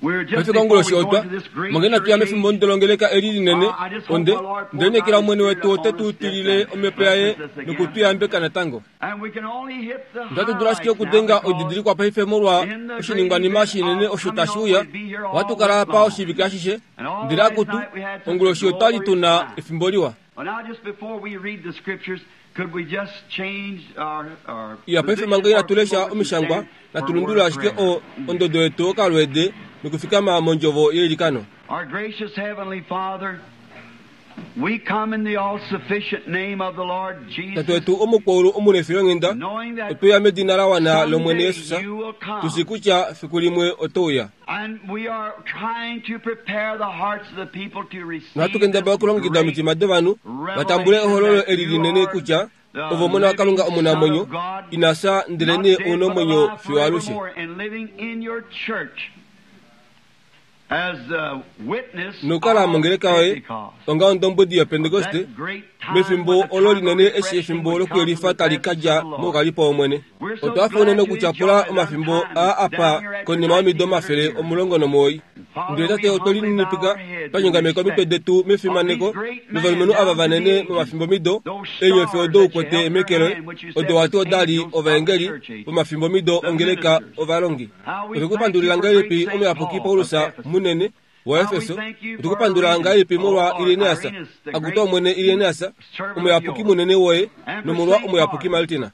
Paife konguloshi otwa manga inatu ya mefimbo ndolongeleka eli linene, onde onde lineekela Omwene wetu ote tu tilile Omhepo yaye noku tu yambeka natango. Otatu dulu ashike okudenga oididilikwa paife molwa oshiningwanima shinene osho tashi uya. Ohatu kala apa oshivike ashishe, ndele akutu, onguloshi otwa li tu na efimbo liwa. Iya, paife manga inatu lesha Omishangwa, natu lundulule ashike o, ondodo yetu okalweede nokufikama mondjovo yeilikano. Tate wetu omukwaulu omunefilonghenda, otwe uya medina la wana lOmwene Jesus, tu shii kutya fiku limwe oto uya. Nohatu kendabala okulongekida omitima dovanhu va tambule ehololo eli linene kutya ove Omona waKalunga omunamwenyo, ina fya ndelenee ou na omwenyo fiyo alushe. Nokukala mongeleka yoye onga ondombwedi yOpentekoste mefimbo olo linene eshi efimbo lokuyelifa tali ka dja moukalipo wOmwene. Otwa hafa unene okutyapula omafimbo aa apa konima yomido 190. Ndele Tate, otwe lininipika twa nyongameka omitwe detu mefimaneko lovalumenhu ava vanene momafimbomido, eenyofi odo u kwete meke loye, odo wa ti oda li ovaengeli vomafimbomido ongeleka ovalongi. Otwe ku pandulila ngahelipi Omuyapuki Paulus munene waEfeso? Otwe ku pandula ngahelipi molwa Irenaeus, akutu Omwene Irenaeus, omuyapuki munene woye, nomolwa Omuyapuki Martina.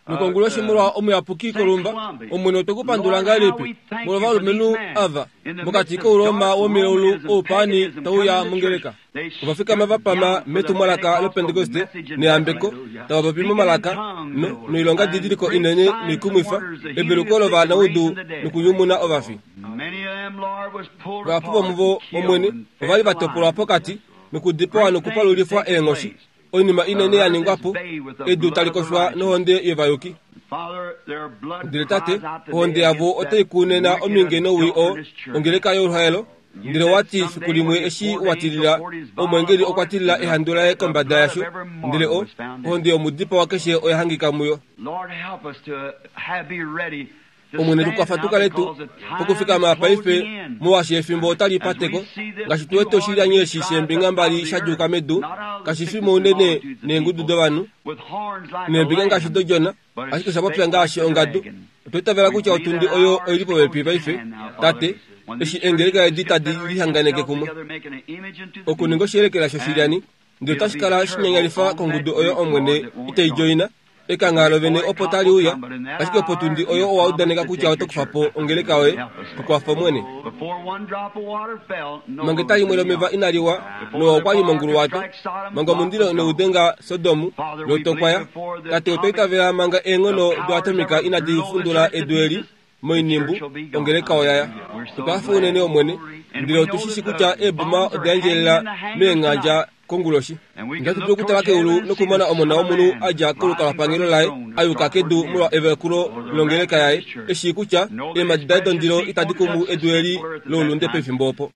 Nokonguloshi molwa Omuyapuki Kolumba, Omwene otwe ku pandula ngahelipi molwa ovalumenhu ava mokati kOuroma womilaulu oupaani tau uya mongeleka. Ova fikama va pama metumwalaka lOpentekoste neyambeko, tava popi momalaka, no, noilongadidiliko inene noikumwifa, eveluko lovanaudu nokunyumuna ovafi. Vahapu vomuvo, Omwene, ova li va topolwa pokati, nokudipawa nokupalulifwa eenghoshi. Oinima inene ya ningwa po, edu tali koshwa nohonde yovayuki. Ndele Tate, ohonde yavo otai ku nena ominge nowii oo, ongeleka yoluhaelo. Ndele owa ti fiku limwe eshi wa tilila, omweengeli okwa tilila ehandu laye kombada yasho, ndele o, ohonde yomudipawa keshe oya hangika muyo. Omwene tu kwafa tu kale tu pokufikama paife, molwaashi efimbo otali pateko, ngaashi tu wete oshilyani eshi sheembinga mbali sha djuuka medu, kashi fi mounene neengudu dovanhu, neembinga ngaashi dodjona, ashike osha popya ngaashi ongadu. Otwa itavela kutya otundi oyo oi li popepi paife, Tate, eshi eengeleka edi tadi lihanganeke kumwe okuninga oshiyelekela shoshilyani, ndele otashi kala shinyanyalifa kongudu oyo Omwene itai djoina. Ekangha lovene opo tali uya, ashike potundi oyo owa udaneka kutya oto kufa po ongeleka yoye. Tu kwafa, Omwene. Manga eta limwe lomeva inali wa, Noa okwa li monguluwato. Manga omundilo inau denga Sodomu, Lot okwa ya. Tate, otwa itavela manga eenghono doatomika inadi fundula edu eli moinimbu, ongeleka oya ya. Otwa hafa unene, Omwene, ndele otu shi shi kutya eeboma oda endjelela meenghandja konguloshi. Ndele ohatu dulu okutala keulu nokumona Omona womunhu a dja kolukalwapangelo laye a yuka kedu molwa evakulo longeleka yaye, e shii kutya eemhadi daye dondilo itadi kumu edu eli loulunde pefimbo opo.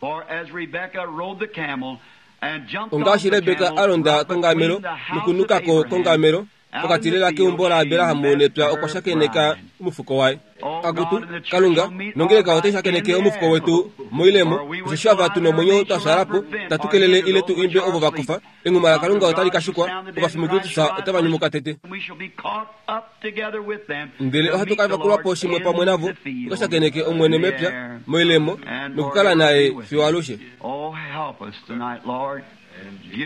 Ongaashi Rebeka a londa kongamelo nokunuka ko kongamelo, Pokati lela keumbo laAbraham nepya okwa shakeneka omufuko waye. Akutu, Kalunga, nongeleka otai shakeneke omufuko wetu moilemo, osheshi ava tu nomwenyo twa fyaala po, tatu kelele ile tu imbe ovo va kufa. Enghuma laKalunga otali ka shikwa, ovafi muKristus otava nyumuka tete. Ndele ohatu ka vakulwa po shimwe pamwe navo, tu ka shakeneke Omwene mepya, moilemo, nokukala naye fiyo alushe.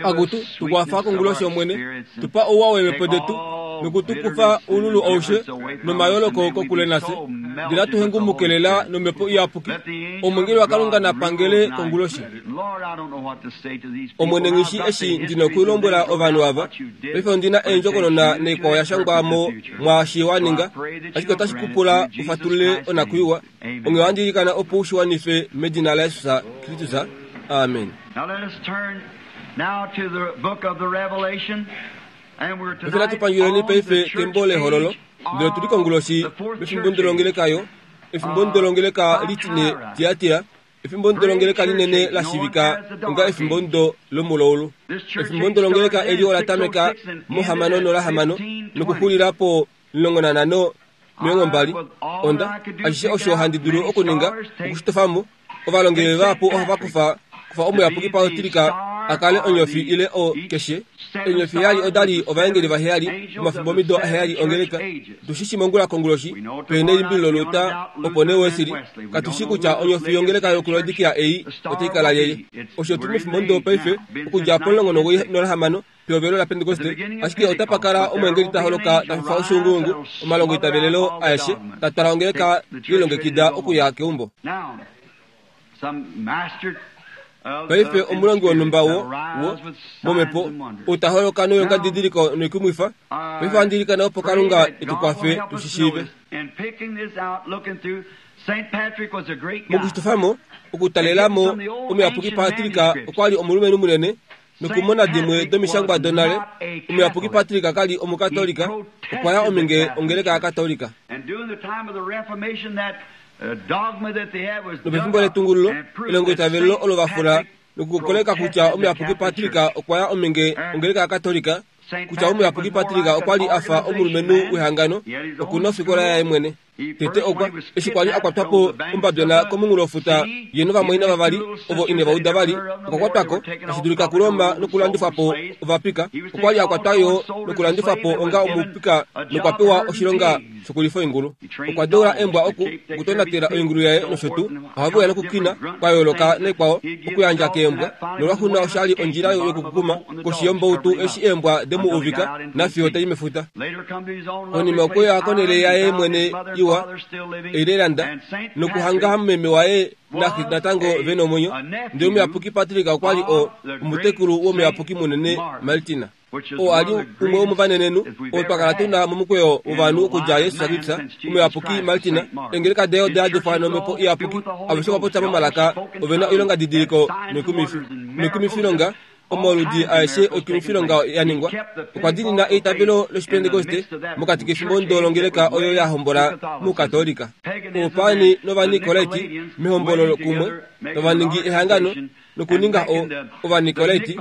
Akutu, tu kwafa konguloshi, Omwene, tu pa ouwa weemhepo detu, noku tu kufa oululu aushe nomayooloko kokule nafye, ndele atu hengumuke lela nOmhepo Iyapuki. Omwengeli waKalunga na pangele konguloshi. Omwene, nghi shi eshi ndi nokulombwela ovanhu ava. Paife ondi na eendjokonona naikwao ya shangwa mo mwaashi wa ninga, ashike otashi ku pula u fatulule onakwiiwa. Onghee ohandi ilikana opo u shi wanife medina laJesus Kristus. Amen. Paife natu pandjuleni paife kembo lEhololo, ndele otu li konguloshi mefimbo ndolongeleka yo, efimbo ndolongeleka litine Tiatira, efimbo ndolongeleka linene la shivika onga efimbo ndo lomulaulu. Efimbo ndolongeleka eli ola tameka mohamano nolahamano nokuxulila po 15. 20. Onda, ashishe osho handi dulu okuninga, okushitofa mo. Ovalongeli vahapu ohava kufa kufa omuyapuki Patrika a kale onyofi ile o keshe. Eenyofi heyali oda li ovaengeli vaheyali momafimbomido aheyali ongeleka. Tu shi shi mongula konguloshi, pe nelimbililo Luther opo nee Wesley. Katu shi kutya onyofi yongeleka yokuLaodikia ei otai kala lyelye. Osho tu li mefimbomudo paife, okudja pomulongo pehovelo laPentekoste, ashike otapa kala omweengeli ta holoka ta fifa oshuunguungu omalongoitavelelo aeshe, ta twala ongeleka lilongekida okuya keumbo. Paife omulongi wonhumba wo, wo, momhepo, ou ta holoka noilongadidiliko noikumwifa. Paife ohandi ilikana opo Kalunga e tu kwafe tu shi shiive. Mokushitofa mo, okutalela mo, Omuyapuki Patrika okwa li omulumenhu munene, nokumona dimwe domishangwa donale, Omuyapuki Patrika ka li Omukatolika, okwa ya ominge ongeleka yaKatolika. Nopefimbo letungululo, elongoitavelo olo va fula nokukoleka kutya Omuyapuki Patrika okwa ya ominge ongeleka yaKatolika, kutya Omuyapuki Patrika okwa li a fa omulumenhu wehangano, oku na ofikola yaye mwene. Tete okwa, eshi kwa li a kwatwa po ombabyona komunghulofuta, ye novamwaina vavali, ovo ine va uda vali, okwa kwatwa ko, tashi dulika kuRoma nokulandifwa po ovapika. Okwa li a kwatwa yo nokulandifwa po onga omupika nokwa pewa oshilonga shokulifa oingulu. Okwa deula eembwa oku, okutonatela oingulu yaye nosho tuu. Ohave uya nokukina kwa yooloka naikwao okuyandja keembwa, nolwaxuuninwa osha li ondjila yokukukuma koshi yombautu eshi eembwa de mu uvika nafiyo ta i mefuta. Konima okwe ya konhele yaye mwene iwa, Ireland, nokuhanga meme waye naxe natango ve nomwenyo. Ndele omuyapuki Patrick okwa li o, omutekulu womuyapuki munene Martina, oo a li umwe womovanenenhu oo twa kala tu na momukweyo wovanhu okudja Jesus Kristus, omuyapuki Martina. Eengeleka daye oda yadifwa nomhepo iyapuki. Aveshe ova popya momalaka, ove na oilongadidiliko noikumwifi, noikumwifilonga. Omauludi aeshe oikumwifilonga ya ningwa, okwa diinina eitavelo lOshipentekoste mokati kefimbo ndo longeleka oyo ya hombola mOukatolika. Oupaani nOvanikolaiti mehombolo kumwe tava ningi ehangano nokuninga o, Ovanikolaiti,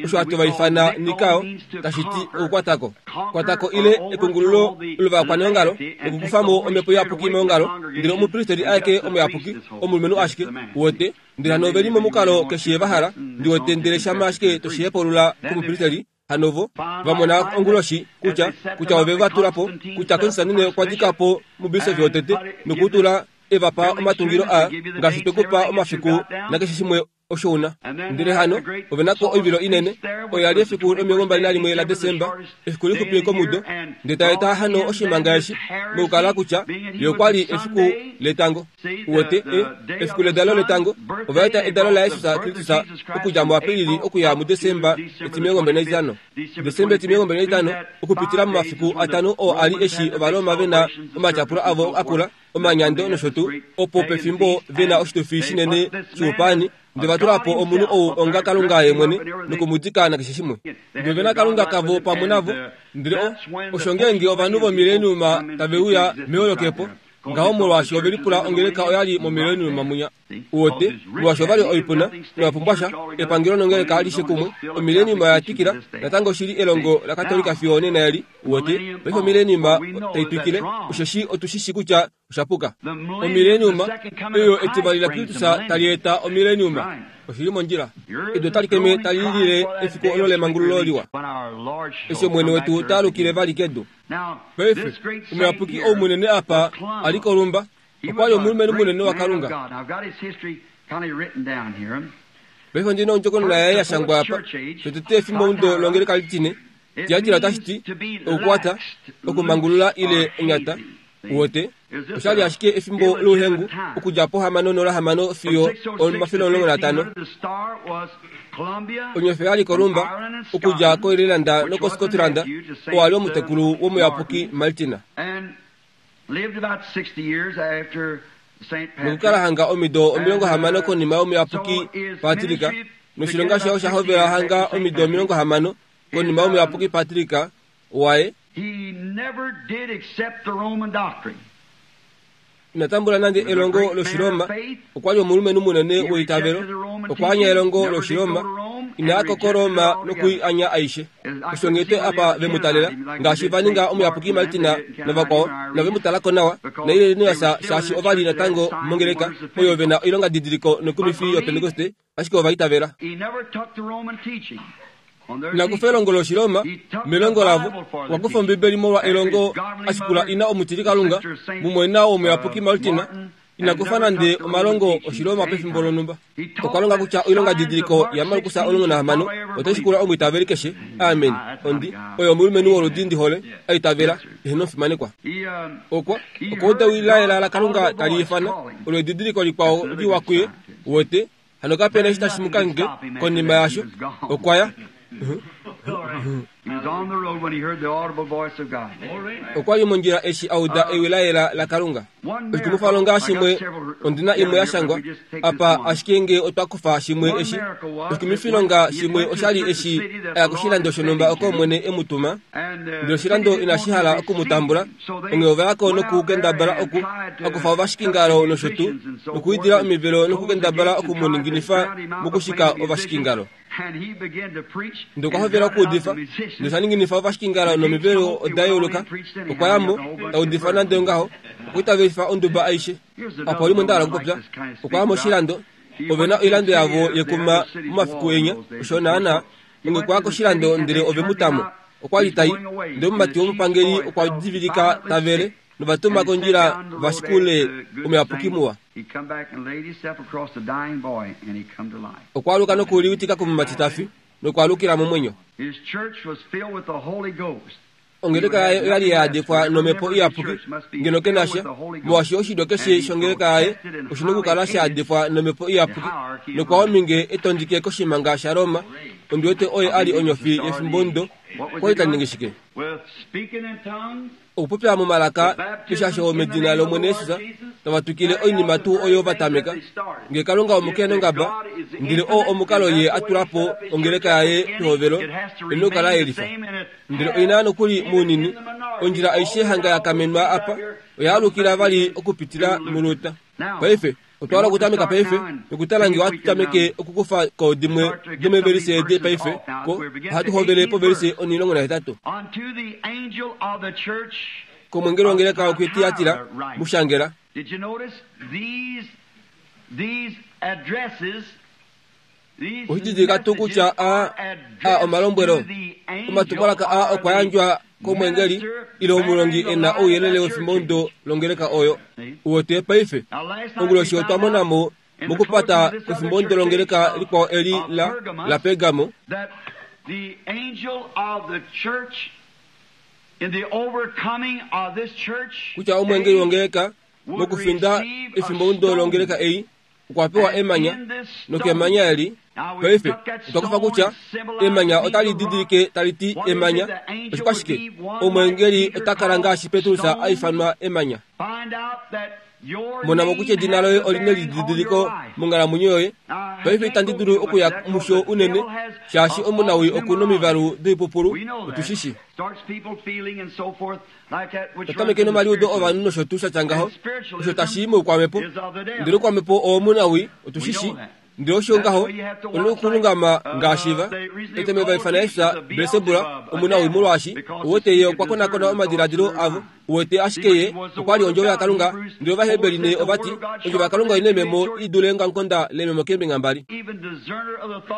osho hatu va ifana Nikao, tashi ti okukwatako. Kwatako ile ekungululo lovakwaneongalo nokukufa mo omhepo iyapuki meongalo, ndele omupristeri aeke omuyapuki, omulumenhu ashike, uwete, Ndele hano ove li momukalo keshe va hala, ndi wete, ndele shama ashike to shi hepulula komupristeli, hano vo va mona onguloshi kutya, kutya ove va tula po, kutya Konstantine okwa dika po mubisofi wotete noku tula e va pa omatungilo aa, ngaashi twe ku pa omafiku nakeshe shimwe osho u na. Ndele hano ove na ko oivilo inene, oyo ya li efiku lomilongombali nalimwe laDesemba, efiku lixupi komudo, ndele ta eta hano oshimanga eshi, mokukala kutya ye okwa li efiku letango. Uwete, e, efiku ledalo letango, ova eta edalo laJesus Kristus okudja muApilili okuya muDesemba 25. Desemba 25, okupitila momafiku atano oo a li eshi Ovaroma ve na omatyapulo avo akula, omanyando nosho tuu, opo pefimbo ve na oshitufi shinene shoupaani, Ndele va tula po omunhu ou onga Kalunga ye mwene noku mu dika nakeshe shimwe. Ndele ove na Kalunga kavo pamwe navo. Ndele o, osho ngeenge ovanhu vomileniuma tave uya meholokepo, ngaho molwaashi ove lipula ongeleka oya li momileniuma munya. Uwete, molwaashi ova li oipuna, inava pumbwa sha, epangelo nongeleka alishe kumwe, omileniuma oya twikila, natango oshi li elongo laKatolika fiyo onena eli. Uwete, paife omileniuma tai twikile, osheshi otu shi shi kutya osha puka. Omileniuma, oyo etivali laKristus tali eta omileniuma. Oshi li mondjila. Edu otali keme tali lilile efiku olo lemangululo liwa, eshi Omwene wetu ta alukile vali kedu. Paife, omuyapuki ou munene apa a li kolumba, okwa li omulumenhu munene waKalunga. Paife ondi na ondjokonona yaye ya shangwa apa, shotete efimbomudo longeleka litine, Diladila otashi ti okukwata, okumangulula ile onyata. Uwete, osha li ashike efimbo louhengu okudja pohamano nolahamano fiyo omafele 15. Onyofi oya li kolumba okudja koIreland nokoScotland, oo a li omutekulu womuyapuki Martina. Nokukala hanga omido 60 konima yomuyapuki Patrick, noshilonga shaye osha hovela hanga omido 60 konima yomuyapuki Patrick waye. Ina tambula nande elongo lOshiroma. Okwa li omulumenhu munene weitavelo. Okwa anya elongo lOshiroma. Ina ya ko koRoma nokui anya aishe. Osho nghee apa ve mu talela, ngaashi va ninga omuyapuki Martina navakwao, nove mu tala ko nawa, naIrenaeus, shaashi ova li natango mongeleka oyo ve na oilongadidiliko noikumifi yOpentekoste, ashike ova itavela. Ina kufa elongo lOshiroma melongo lavo, okwa kufa Ombibeli molwa elongo a shikula ina omutilikalunga, mumwaina womuyapuki Martina, Ina kufa nande omalongo Oshiroma pefimbo lonhumba. Okwa longa kutya oilongadidiliko yaMarkus 16 otai shikula omwiitaveli keshe. Amen. Ondi, oye omulumenhu woludi ndi hole, a itavela, eheno omufimanekwa. Okwa, okwa uda ewi la yela laKalunga tali ifana, olo edidiliko likwao liwa kuye, uwete, Hano kape na eshi tashi mu kangheke konima yaasho. Okwa ya. Okwa li mondjila eshi a uda ewi la yela laKalunga. Oshikumwifalonga shimwe, ondi na imwe ya shangwa apa, ashike nge otwa kufa shimwe eshi. Oshikumwifilonga shimwe osha li eshi a ya koshilando shonhumba oko Omwene e mu tuma. Ndele oshilando inashi hala oku mu tambula, onghee ova ya ko nokukendabala oku a kufa ovashikingalo nosho tuu, nokuidila omivelo nokukendabala oku mu ninginifa mokushika ovashikingalo. Ndele okwa hovela okuudifa, ndele sha ninginifa ovashikingalo nomivelo oda yeuluka. Okwa ya mo, ta udifa nande ongaho, okwa itavelifa onduba aishe. Apa olimwe nda hala okupopya. Okwa ya moshilando. Ove na oilando yavo yekuma momafiku enya, osho naanaa. Onghee okwa ya koshilando ndele ove mu ta mo. Okwa li ta i, ndele omumati womupangeli okwa divilika ta vele, nova tuma kondjila va shikule omuyapuki muwa. Okwa aluka noku liwitika komumati ta fi, nokwa alukila momwenyo. Ongeleka yaye oya li ya yadekwa nomhepo iyapuki, ngeno ke na sha, molwaashi oshilyo keshe shongeleka yaye oshi na okukala sha yadekwa nomhepo iyapuki, nokwa ominge e tondike koshimhanga shaRoma. Ondi wete oye a li onyofi yefimbomudo. Okwa li ta ningi shike? Okupopya momalaka, eshasho medina lOmwene Jesus, tava twikile oinima tuu oyo va tameka. Nge Kalunga omukenongaba, ndele oo omukalo Ye a tula po ongeleka yaye pehovelo, e nokukala yelifa. Ndele oi na nokuli mounini, ondjila aishe hanga ya kamenwa apa, oya alukila vali okupitila muLuther. Paife, otwa hala okutameka paife, nokutala nge ohatu tameke okukufa ko dimwe domeevelise edi paife, ko, ohatu hovele povelise 18. Komwengeli wongeleka yokuTiatira, mu shangela. Oshididilika tuu kutya a a omalombwelo omatumwalaka aa okwa yandjwa komwengeli ile omulongi e na ouyelele wefimbomudo longeleka oyo. Uwete paife, onguloshi otwa mona mo mokupata kwefimbomudo longeleka likwao eli la, laPergamo, kutya omwengeli wongeleka mokufinda efimbomudo longeleka ei okwa pewa emanya, nokemanya eli, paife, otwa kufa kutya emanya otali didilike tali ti emanya. Oshikwashike? Omweengeli ota kala ngaashi Petrus a ifanwa emanya. Mona mo kutya edina loye oli nelididiliko monghalamwenyo yoye. Paife itandi dulu okuya musho unene, shaashi omunawii oku nomivalu doipupulu, otu shi shi. Ta tameke nomaliudo ovanhu nosho tuu sha tya ngaho, osho tashi i moukwamhepo. Ndele oukwamhepo owomunawii, otu shi shii. Ndele osho ngaho, ou na okulungama ngaashi va. Eteme va ifana Jesus Belsebula, omunawii, molwaashi, uwete, ye okwa konakona omadiladilo avo. Uwete, ashike ye okwa li Ondjovo yaKalunga. Ndele Ovaheberi nee ova ti, Ondjovo yaKalunga oi na eememo i dule eongamukonda leememo keembinga mbali.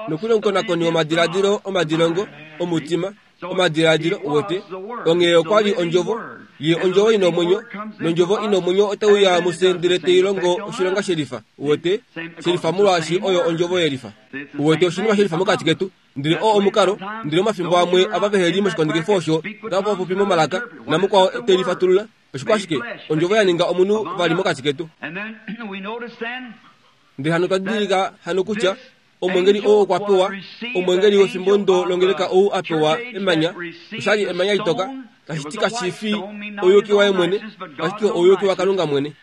Nokuli omukonakoni womadiladilo omadilongo omutima. Omadiladilo, uwete. Onghee okwa li Ondjovo. Ye Ondjovo i na omwenyo, nOndjovo i na omwenyo otai uya mufye ndele tai longo oshilonga shelifa. Uwete? Shelifa molwaashi oyo Ondjovo yelifa. Uwete, oshinima shelifa mokati ketu. Ndele oo omukalo, ndele omafimbo amwe ava vehe li moshikondekifo osho otava popi momalaka, namukwao te lifatulula. Oshikwashike? Ondjovo ya ninga omunhu vali mokati ketu. Ndele hano otwa didilika hano kutya Omwengeli oo okwa pewa, omwengeli wefimbo ndo longeleka ou a pewa emanya, oshali emanya litoka, tashi ti kashi fi ouyuki waye mwene, ashike ouyuki waKalunga mwene.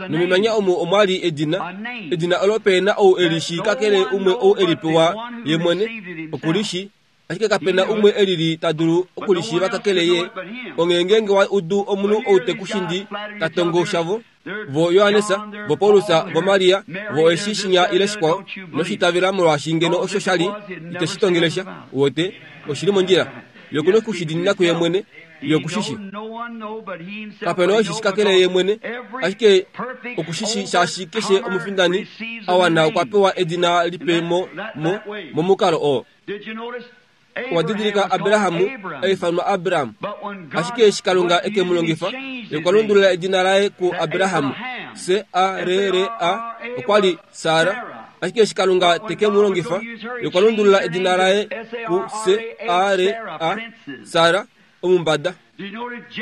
Nomemanya omu omwa li edina, edina olo pe na ou e li shii kakele umwe ou e li pewa ye mwene, oku li shii. Ashike kape na umwe e lili ta dulu okulishiiva kakele ye. Onghee ngeenge wa udu omunhu ou te ku shindi ta tongo shavo, vo Johannes, vo Paulus, vo Maria, vo eshi shinya ile shikwao, ino shi itavela molwaashi ngeno osho sha li, ite shi tongele sha. Uwete, oshi li mondjila. Ye oku na oku shi diinina kuye mwene. Ye oku shi shi. Kape na oo eshi shi kakele ye mwene, ashike oku shi shi shaashi keshe omufindani a wana okwa pewa edina lipe mo, mo, momukalo oo. Owa didilika Abraham a ifanwa Abram, ashike eshi Kalunga e ke mu longifa, ye okwa lundulula edina laye kuAbraham, C-A-R-R-A, okwa li Sara, ashike eshi Kalunga te ke mu longifa, ye okwa lundulula edina laye ku-C-A-R-A, Sara, omumbada.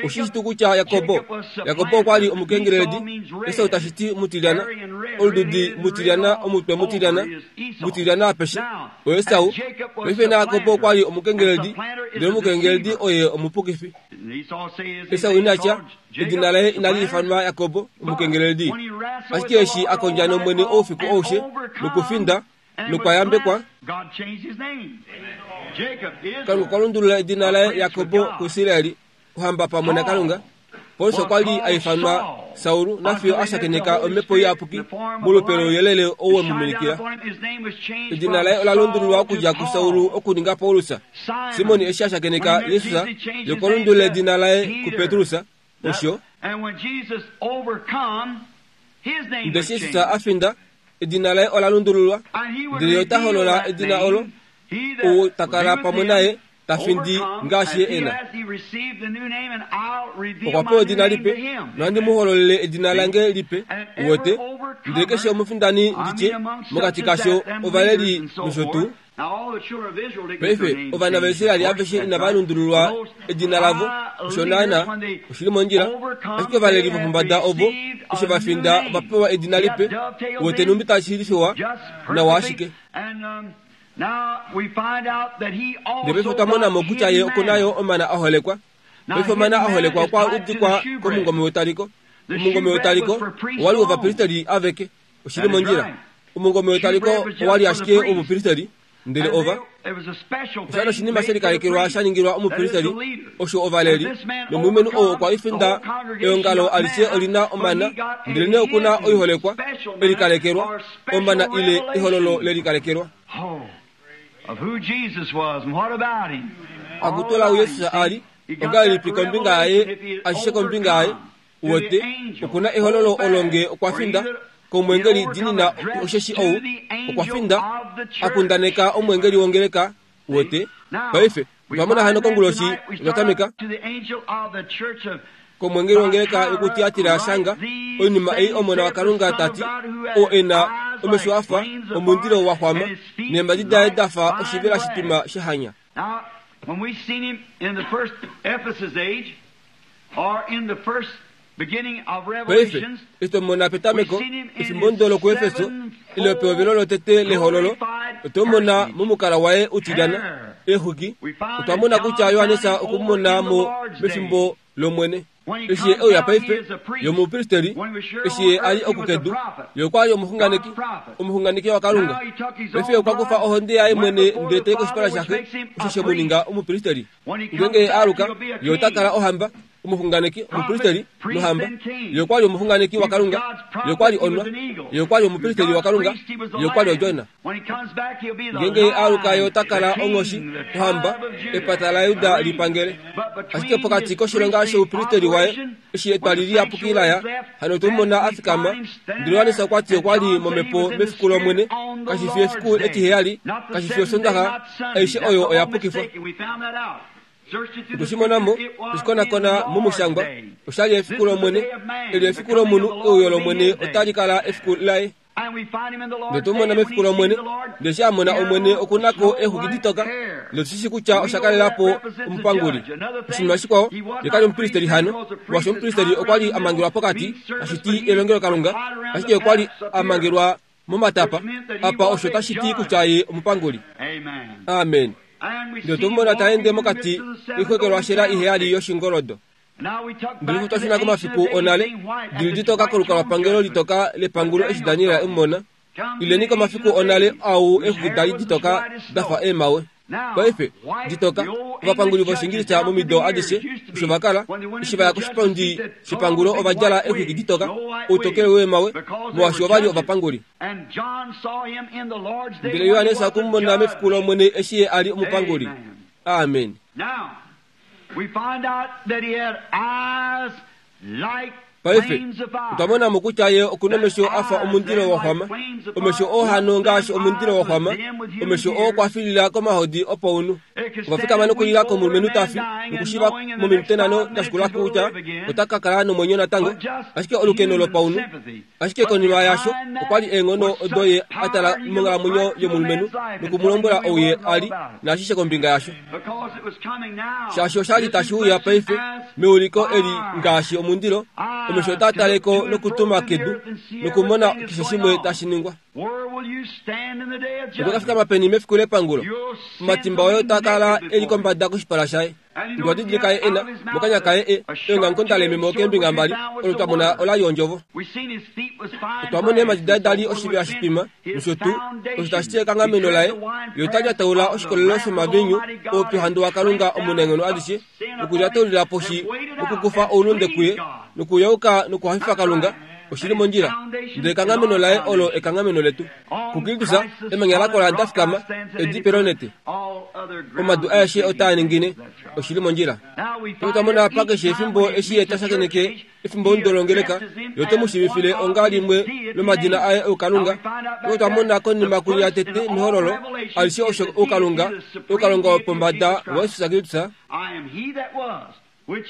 Oshi shi tuu kutya Jakobo, Jakobo okwa li omukengeleledi, Esau tashi ti mutilyana, olududi mutilyana, omutwe mutilyana, mutilyana apeshe, oEsau. Paife naJakobo okwa li omukengeleledi, ndele omukengeleledi oye omupukifi. Esau ina tya, edina laye inali ifanwa Jakobo, omukengeleledi. Ashike eshi a kondja nOmwene oufiku aushe nokufinda, nokwa yambekwa, Kalunga okwa lundulula edina laye Jakobo kuIsraeli, ohamba pamwe naKalunga. Paulus okwa li a ifanwa Saul nafiyo a shakeneka omhepo iyapuki molupe louyelele ou we mu minikila. Edina laye ola lundululwa okudja kuSaul okuninga Paulus. Simon eshi a shakeneka Jesus, ye okwa lundulula edina laye kuPetrus. Osho. Ndele eshi Jesus a finda, edina laye ola lundululwa, ndele ye ota holola edina olo, ou ta kala pamwe naye ta findi ngaashi ye e na. Okwa pewa edina lipe, nohandi mu hololele edina lange lipe, uwete, ndele keshe omufindani nditye, mokati kasho ovaleli nosho tuu. Paife, ovana vaIsrael aveshe inava lundululwa edina lavo, osho naanaa, oshi li mondjila. Ashike ovaleli vopombada ovo, eshi va finda, ova pewa edina lipe, uwete nhumbi tashi lifewa nawa ashike. Ndele paife otwa mona mo kutya ye oku na yo omana a holekwa. Paife omana a holekwa okwa udikwa komungome wetaliko. Omungome wetaliko owa li wovapristeli aveke. Oshi li mondjila. Omungome wetaliko owa li ashike womupristeli, ndele ova. Osha li oshinima she likalekelwa sha ningilwa omupristeli, osho ovaleli, nomulumenhu ou okwa li finda eongalo alishe oli na omana, ndelenee oku na oiholekwa, e likalekelwa, omana ile ehololo le likalekelwa. Akutola ou Jesus a li, ongahelipi kombinga yaye, ashishe kombinga yaye, Uwete, oku na ehololo olo nge okwa finda komwengeli dinina osheshi ou okwa finda a kundaneka omwengeli wongeleka. Uwete? Paife, otwa mona hano konguloshi otwa tameka komwengeli wongeleka yokuTiatira shanga oinima ei Omona waKalunga ta ti, oo e na omesho a fa omundilo wa xwama neembadi daye da fa oshivela shitwima shehanya. Paife, eshi twa mona petameko, efimbo ndo lokuEfeso, ile pehovelo lotete lehololo, otwe mu mona momukala waye utilyana, eexwiki. Otwa mona kutya Johannes okwe mu mona mo mefimbo lOmwene. Eshi ye e uya paife, ye omupristeli, eshi ye a li oku kedu, ye okwa li omuxunganeki, omuxunganeki waKalunga. Paife ye okwa kufa ohonde yaye mwene ndele ta i koshipala shaXe, osho she mu ninga omupristeli. Ngeenge ye a aluka, ye ota kala ohamba, omuxunganeki, omupristeli nohamba. Ye okwa li omuxunganeki waKalunga. Ye okwa li onwa. Ye okwa li omupristeli waKalunga. Ye okwa li odjona. Ngeenge ye a aluka, ye ota kala onghoshi, ohamba, epata laJuda li pangele. Ashike pokati koshilonga shoupristeli waye, eshi etwali liyapuki la ya, hano otwe mu mona a fikama. Ndele Johannes okwa ti okwa li momhepo mefiku lOmwene, kashi fi efiku etiheyali, kashi fi Osondaxa, aishe oyo oya pukifwa. Otwe shi mona mo, twe shi konakona momushangwa. Osha li efiku lOmwene. Eli efiku lomunhu, euyo lOmwene otali kala efiku laye. Ndele otwe mu mona mefiku lOmwene. Ndele eshi a mona Omwene oku na ko eexwiki ditoka, ndele otu shi shii kutya osha kalela po omupanguli. Oshinima shikwao, ye ka li omupristeli hano, molwaashi omupristeli okwa li a mangelwa pokati, tashi ti elongelokalunga, ashike okwa li a mangelwa momatapa apa osho tashi ti kutya ye omupanguli. Amen. Ndele otwe mu mona ta ende mokati koixwekelwashela iheyali yoshingoldo. Ndele otwa shuna komafiku onale, dili litoka kolukalwapangelo litoka lepangulo eshi Daniel e mu mona. Ileni komafiku onale au eexuki da li ditoka da fa eemhawe. Paife, ditoka, ovapanguli vOshiingilisa momido adishe osho va kala, eshi va ya koshipundi shepangulo ova djala eexwiki ditoka, outokele weemawe, molwaashi ova li ovapanguli. Ndele Johannes okwe mu mona mefiku lOmwene eshi ye a li omupanguli. Amen. Paife, otwa mona mo kutya ye oku nomesho a fa omundilo wa xwama, omesho oo hano ngaashi omundilo wa xwama, omesho oo kwa filila komahodi opaunhu. Ova fikama nokulila komulumenhu ta fi, nokushiva mominute nhano da shikula ko kutya ota ka kala nomwenyo natango, ashike olukeno lopaunhu. Ashike konima yaasho, okwa li eenghono odo ye a tala monghalamwenyo yomulumenhu noku mu lombwela ou ye a li, naashishe kombinga yasho. Shaashi osha li tashi uya paife meuliko eli ngaashi omundilo, omesho otaa tale ko nokutuma kedu nokumona keshe shimwe tashi ningwa. Oto ka fikama peni mefiku lepangulo? Omatimba oye otaa kala e li kombada koshipala shaye. Ndwa didilika ye e na mokanya kaye e eongamukonda lememo keembinga mbali, olo twa mona ola li ondjovo. Otwa mona eemhadi daye da li oshiviha shitwima, nosho tuu, osho tashi ti ekanghameno laye, ye ota lyataula oshikolelo shomaviinyu oupyuhandu waKalunga Omunaenghono adishe, nokulyataulila poshi nokukufa oulunde kuye, nokuyauka nokuhafifa Kalunga, oshi li mondjila. Ndele ekanghameno laye olo ekanghameno letu. KuKristus, emanya la kola da fikama, edipe lonete. Omadu aeshe otaa ningine. Oshi li mondjila. Paife otwa mona apa keshe efimbo eshi ye ta shakeneke efimbo londolongeleka, ye ote mu shiivifile onga limwe lomadina aye oukalunga. Paife otwa mona konima kunya tete mehololo alishe osho oukalunga, oukalunga wopombada waJesus Kristus,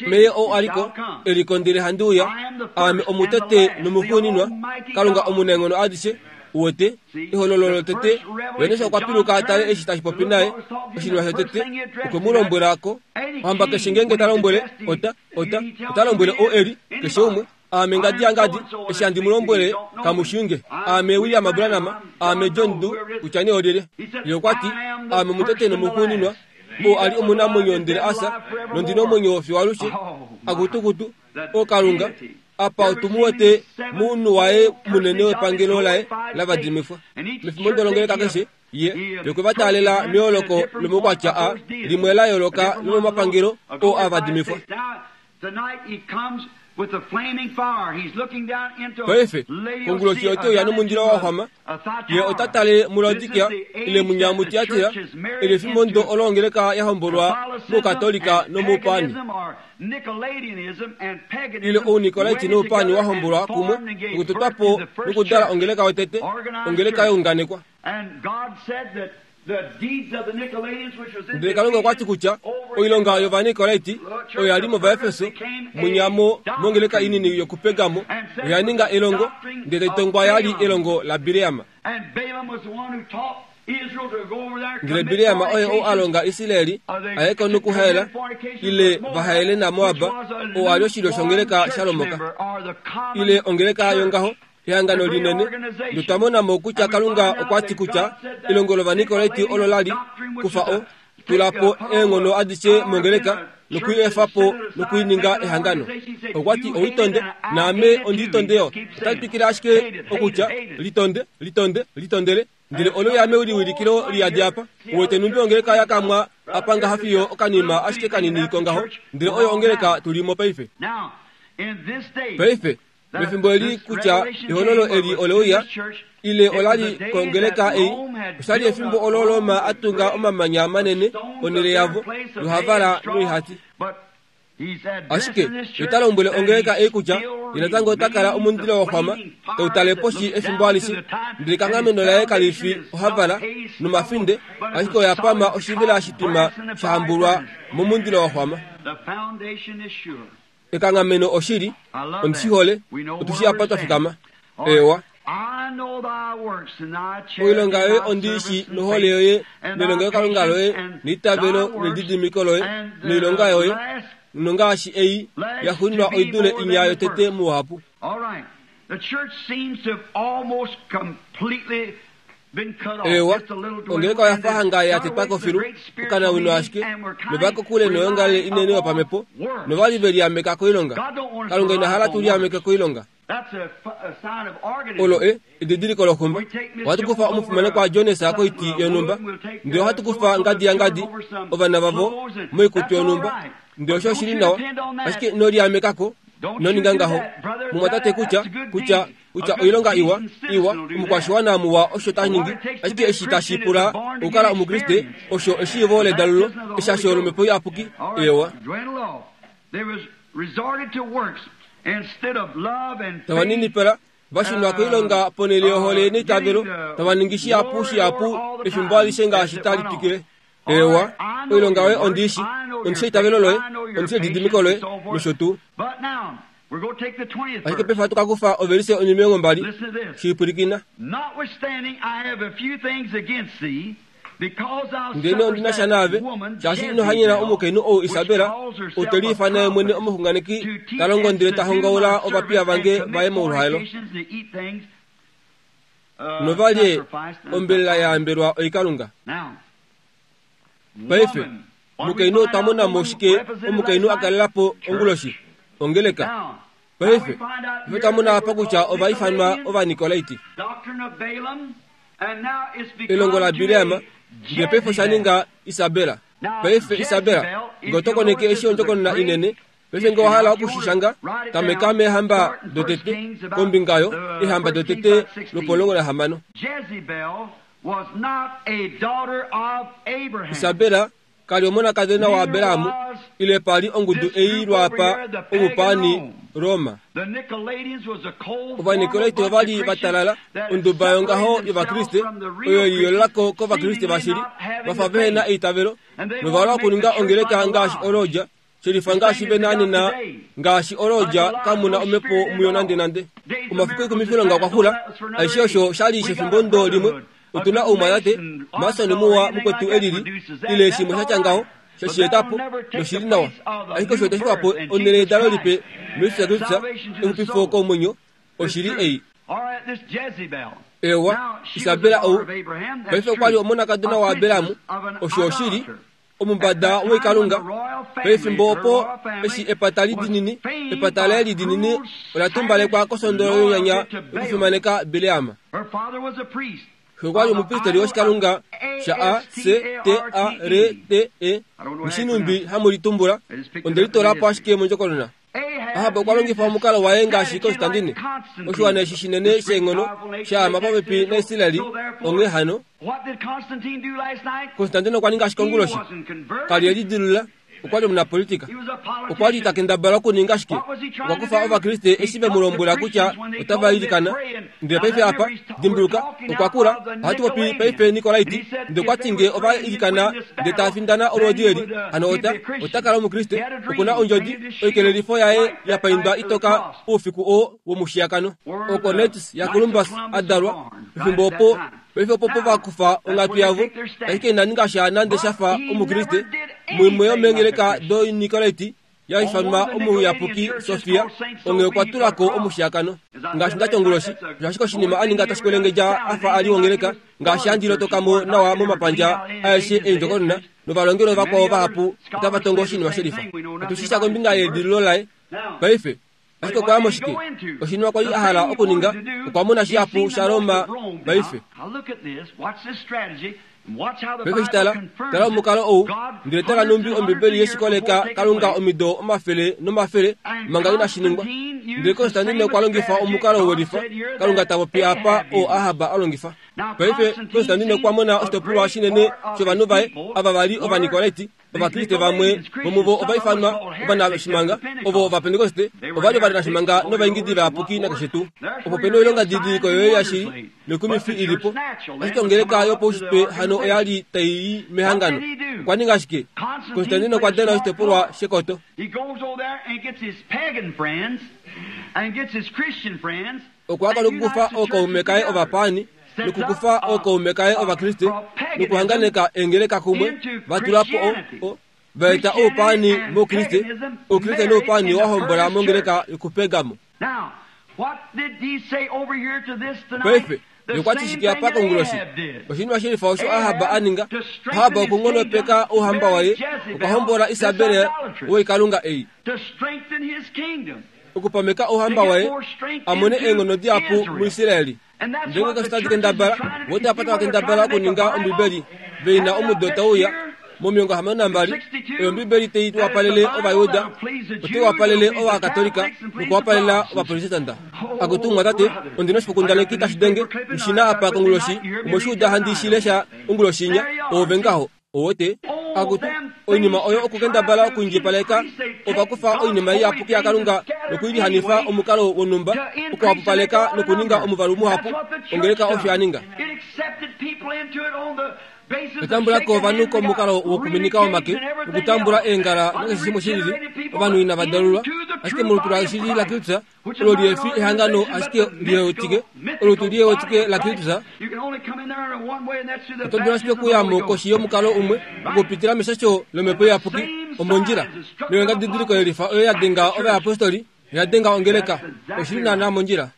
Meye ou a li ko, e li ko ndele handi uya, aame omutete nomuxuuninwa, Kalunga omunaenghono adishe, u wete, ehololo lotete, Johannes okwa piluka a tale eshi tashi popi naye, oshinima shotete, okwe mu lombwela ko. Ohamba keshe ngeenge ta lombwele, ota, ota, ota lombwele ou e li, keshe umwe, Aame ngadi yangadi, eshi handi mu lombwele, kamu shii nge. Aame William Branham, aame John Doe, kutya nee olyelye. Ye okwa ti, Aame omutete nomuxuuninwa, oo a li omunamwenyo ndele a fya, nondi na omwenyo fiyo alushe. Akutukutu, O Kalunga, apa otu mu wete mounhu waye munene wepangelo laye la vadimifwa. Mefimbo dolongeleka keshe, ye okwe va taalela meyooloko lomaukwatya a limwe la yooloka lomomapangelo oo a vadimifwa. Paife, konguloshi ote uya nomundilo wa xwama. Ye ota tale muLaodikia, ile munya muTiatira, eli efimbo ndo olo ongeleka ya hombolwa mOukatolika nomoupaani. Ile Ounikolaiti noupaani wa hombolwa kumwe nokutotwa po nokudala ongeleka yotete, ongeleka ya unganekwa. Ndele Kalunga okwa ti kutya oilonga yOvanikolaiti oyo ya li mOvaefeso, munyamo mongeleka inini yokuPergamo, oya ninga elongo, ndele tai tongwa ya li elongo laBileam. Ndele Bileam oye ou a longa Israel a ye ko nokuhaela, ile va haele naMoab, oo a li oshilyo shongeleka shaLomoka, ile ongeleka yongaho ehangano linene, notwa mona mo kutya Kalunga okwa ti kutya elongo lOvanikolaiti olo la li kufa o tula po eenghono adishe mongeleka noku i efa po noku i ninga ehangano. Okwa ti, Ou tonde, naame ondi tonde yo. Otali twikile ashike okutya, Litonde, litonde, litondele. Ndele olo yaame liwilikilo liyadi apa. Uwete nhumbi ongeleka ya kamwa apa ngaha fiyo okanima ashike kanini kongaho, ndele oyo ongeleka tu li mo paife. Paife, Mefimbo eli kutya ehololo eli ole uya, ile ola li kongeleka ei, osha li efimbo olo Roma a tunga omamanya manene onhele yavo yohavala noihati. Ashike ye ta lombwele ongeleka ei kutya ye natango ota kala omundilo wa xwama tau tale poshi efimbo alishe, ndele ekanghameno laye kali fi ohavala nomafinde, ashike oya pama oshivela shitwima sha hambulwa momundilo wa xwama. Ekanghameno oshili, ondi shi hole, otu shii apa twa fikama. Eewa. Oilonga yoye ondi i shii nohole yoye nelongelokalunga loye neitavelo nelididimiko loye noilonga yoye, nongaashi ei ya xuuninwa oi dule inya yotete mouhapu. Eewa, ongeleka oya fa hanga ya tetwa ko filu, okanawino ashike, nova kokule noyoongalele inene yopamhepo, nova li ve liameka koilonga. Kalunga ina hala tu liameke koilonga. Olo e, edidiliko loxumba. Ohatu kufa omufimanekwa Jones koiti yonhumba, ndele ohatu kufa ngadi yangadi, ovana vavo, moikutu yonhumba, ndele osho oshi li nawa, ashike ino liamekako, ino ninga ngaho. Mumwatate kutya, kutya, kutya oilonga iwa, iwa, omukwashiwana muwa osho ta ningi, ashike eshi tashi pula okukala Omukriste, osho eshiivo ledalulo, eshasho lOmhepo Iyapuki. Eewa. Tava ninipala, va shunwa koilonga ponhele yohole neitavelo, tava ningi shihapu shihapu efimbo alishe ngaashi tali twikile. Eewa, oilonga yoye ondi i shi, ondi shi eitavelo loye, ondi shi elididimiko loye, nosho tuu. Ashike paife ohatu ka kufa ovelise onhimilongombali. Shi pwilikina. Ndele ondi na sha naave, shaashi ino hanyena omukainhu ou Isabela, ou te liifana ye mwene omuxunganeki, ta longo ndele ta hongaula ovapiya vange va ye moluhaelo. Nova lye ombelela ya yambelwa oikalunga. Paife, omukainhu otwa mona mo shike omukainhu a kalela po onguloshi? Ongeleka. Paife, ife twa mona apa kutya ova ifanwa Ovanikolaiti. Elongo laBileam, ndele paife osha ninga Isabela. Paife, Isabela, nge oto koneke eshi ondjokonona inene, paife nge owa hala oku shi shanga, tameka meehamba dotete, kombinga yo, eehamba dotete lwopomulongo nahamano. Isabela ka li omonakadona waAbraham, ile pa li ongudu ei lwaapa omupaani Roma. Ovanikolaiti ova li va talala onduba yongaho yOvakriste oyo ye liyoolola ko kOvakriste vashili, va fa vehe na eitavelo nova hala okuninga ongeleka ngaashi olodja Shelifa ngaashi ve na nena, ngaashi olodja, kamu na omhepo muyo nandenande. Omafiku oikumifilonga okwa xula. Aishe osho sha li shefimbo ndo limwe. Otu na oumwatate, Mason muwa mukwetu e lili, ile shimwe sha tya ngaho, she shi eta po, noshi li nawa. Ashike osho itashi kufa po onhele yedalo lipe muJesus Kristus, exupifo komwenyo, oshili ei. Eewa, Isabela ou, paife okwa li omonakadona waAbraham, osho oshili, omumbada woikalunga. Pefimbo opo eshi epata lidinini, epata laye lidinini ola tumbalekwa kosondolo yonyanya yokufimaneka Bileam. Xe okwa li omupristeli woshikalunga sha A C T A R T E, Mushinumbi hamu litumbula, onde litola po ashike mondjokonona. Ahab okwa longifa omukalo waye ngaashi Konstantine, oshiwana eshi shinene sheenghono sha ama popepi naIsraeli. Onghee hano, Konstantine okwa ninga shike onguloshi? Ka li e lidilulula. Okwa li omunapolitika. Okwa li ta kendabala okuninga shike? Okwa kufa Ovakriste eshi ve mu lombwela kutya otava ilikana. Ndele paife apa, dimbuluka, okwa kula. Ohatu popi paife Nikolaiti. Ndele okwa ti nge ova ilikana ndele tava findana olwoodi eli, hano ota, ota kala Omukriste. Oku na ondjodi, oikelelifo yaye ya paindwa itoka oufiku oo womushiyakano. Oko Knights yaColumbus a dalwa, pefimbo opo, paife opo po va kufa onghatu yavo, ashike ina ninga sha nande sha fa Omukriste. Muimwe yomeengeleka doinikolaiti, ya ifanwa Omuyapuki Sofia, onghee okwa tula ko omushiyakano. Ngaashi nda ti onguloshi, osho ashike oshinima a ninga tashi kwelengedja a fa a li wongeleka, ngaashi handi lotoka mo nawa momapandja aeshe eendjokonona, novalongelwe vakwao vahapu otava tongo oshinima shelifa. Otu shi sha kombinga yeedililo laye paife. Ashike okwa ya moshike? Oshinima kwa li a hala okuninga, okwa mona shihapu shaRoma paife. Paife shi tala, tala omukalo ou, ndele tala nhumbi Ombibeli ye shi koleka Kalunga omido omafele nomafele manga inashi ningwa. Ndele Konstantine okwa longifa omukalo welifa, Kalunga ta popi apa, oo Ahab a longifa. Paife, Konstantine okwa mona oshitopolwa shinene shovanhu vaye, ava va li Ovanikolaiti, Ovakriste vamwe vomuvo ova ifanwa ovanashimanga, ovo Ovapentekoste ova li ovanashimanga novaingidi vayapuki nakeshe tuu. Opo pe na oilongadidiliko yoye yashili noikumifi i li po. Ashike ongeleka yopaushitwe hano oya li tai i mehangano. Okwa ninga shike? Konstantine okwa dana oshitopolwa shekoto. Okwa kala okukufa ookaume kaye ovapaani nokukufa ookaume kaye Ovakriste nokuhanganeka eengeleka kumwe, va tula po o, o, va eta oupaani mOukriste, Oukriste noupaani wa hombola mongeleka yokuPergamo. Paife, ye okwa ti shike apa konguloshi? Oshinima shelifa osho Ahab a ninga. Ahab okunghonopeka ouhamba waye, okwa hombola Isabel woikalunga ei. Okupameka ouhamba waye, a mone eenghono dihapu muIsraeli. Ndele ngeenge tadi kendabala, vo otava tava kendabala okuninga Ombibeli ve na omudo tau uya, mo62, oyo Ombibeli tai wapalele Ovajuda, otai wapalele Ovakatolika nokuwapalela Ovaprotestanta. Akutu mumwatate, ondi na oshifokundaneki tashi denge, nghi na apa konguloshi, omwe shi uda handi shi lesha onguloshi inya, oove ngaho. Owote, akutu, oinima oyo okukendabala okuindjipaleka, ova kufa oinima iyapuki yaKalunga nokuilihanifa omukalo wonhumba, okuhapupaleka nokuninga omuvalu muhapu, ongeleka osho ya ninga. Otambula ko ovanhu komukalo wokuminika omake, nokutambula eengala nakeshe shimwe shilili, ovanhu inava dalulwa, ashike molutu lashili laKristus, olo liefi ehangano ashike liewetike, olutu liewetike laKristus, oto dulu ashike okuya mo koshi yomukalo umwe, okupitila meshasho lOmhepo Iyapuki, omondjila. Noyongadidiliko yelifa oyo ya denga ovayapostoli, oya denga ongeleka. Oshi li naanaa mondjila.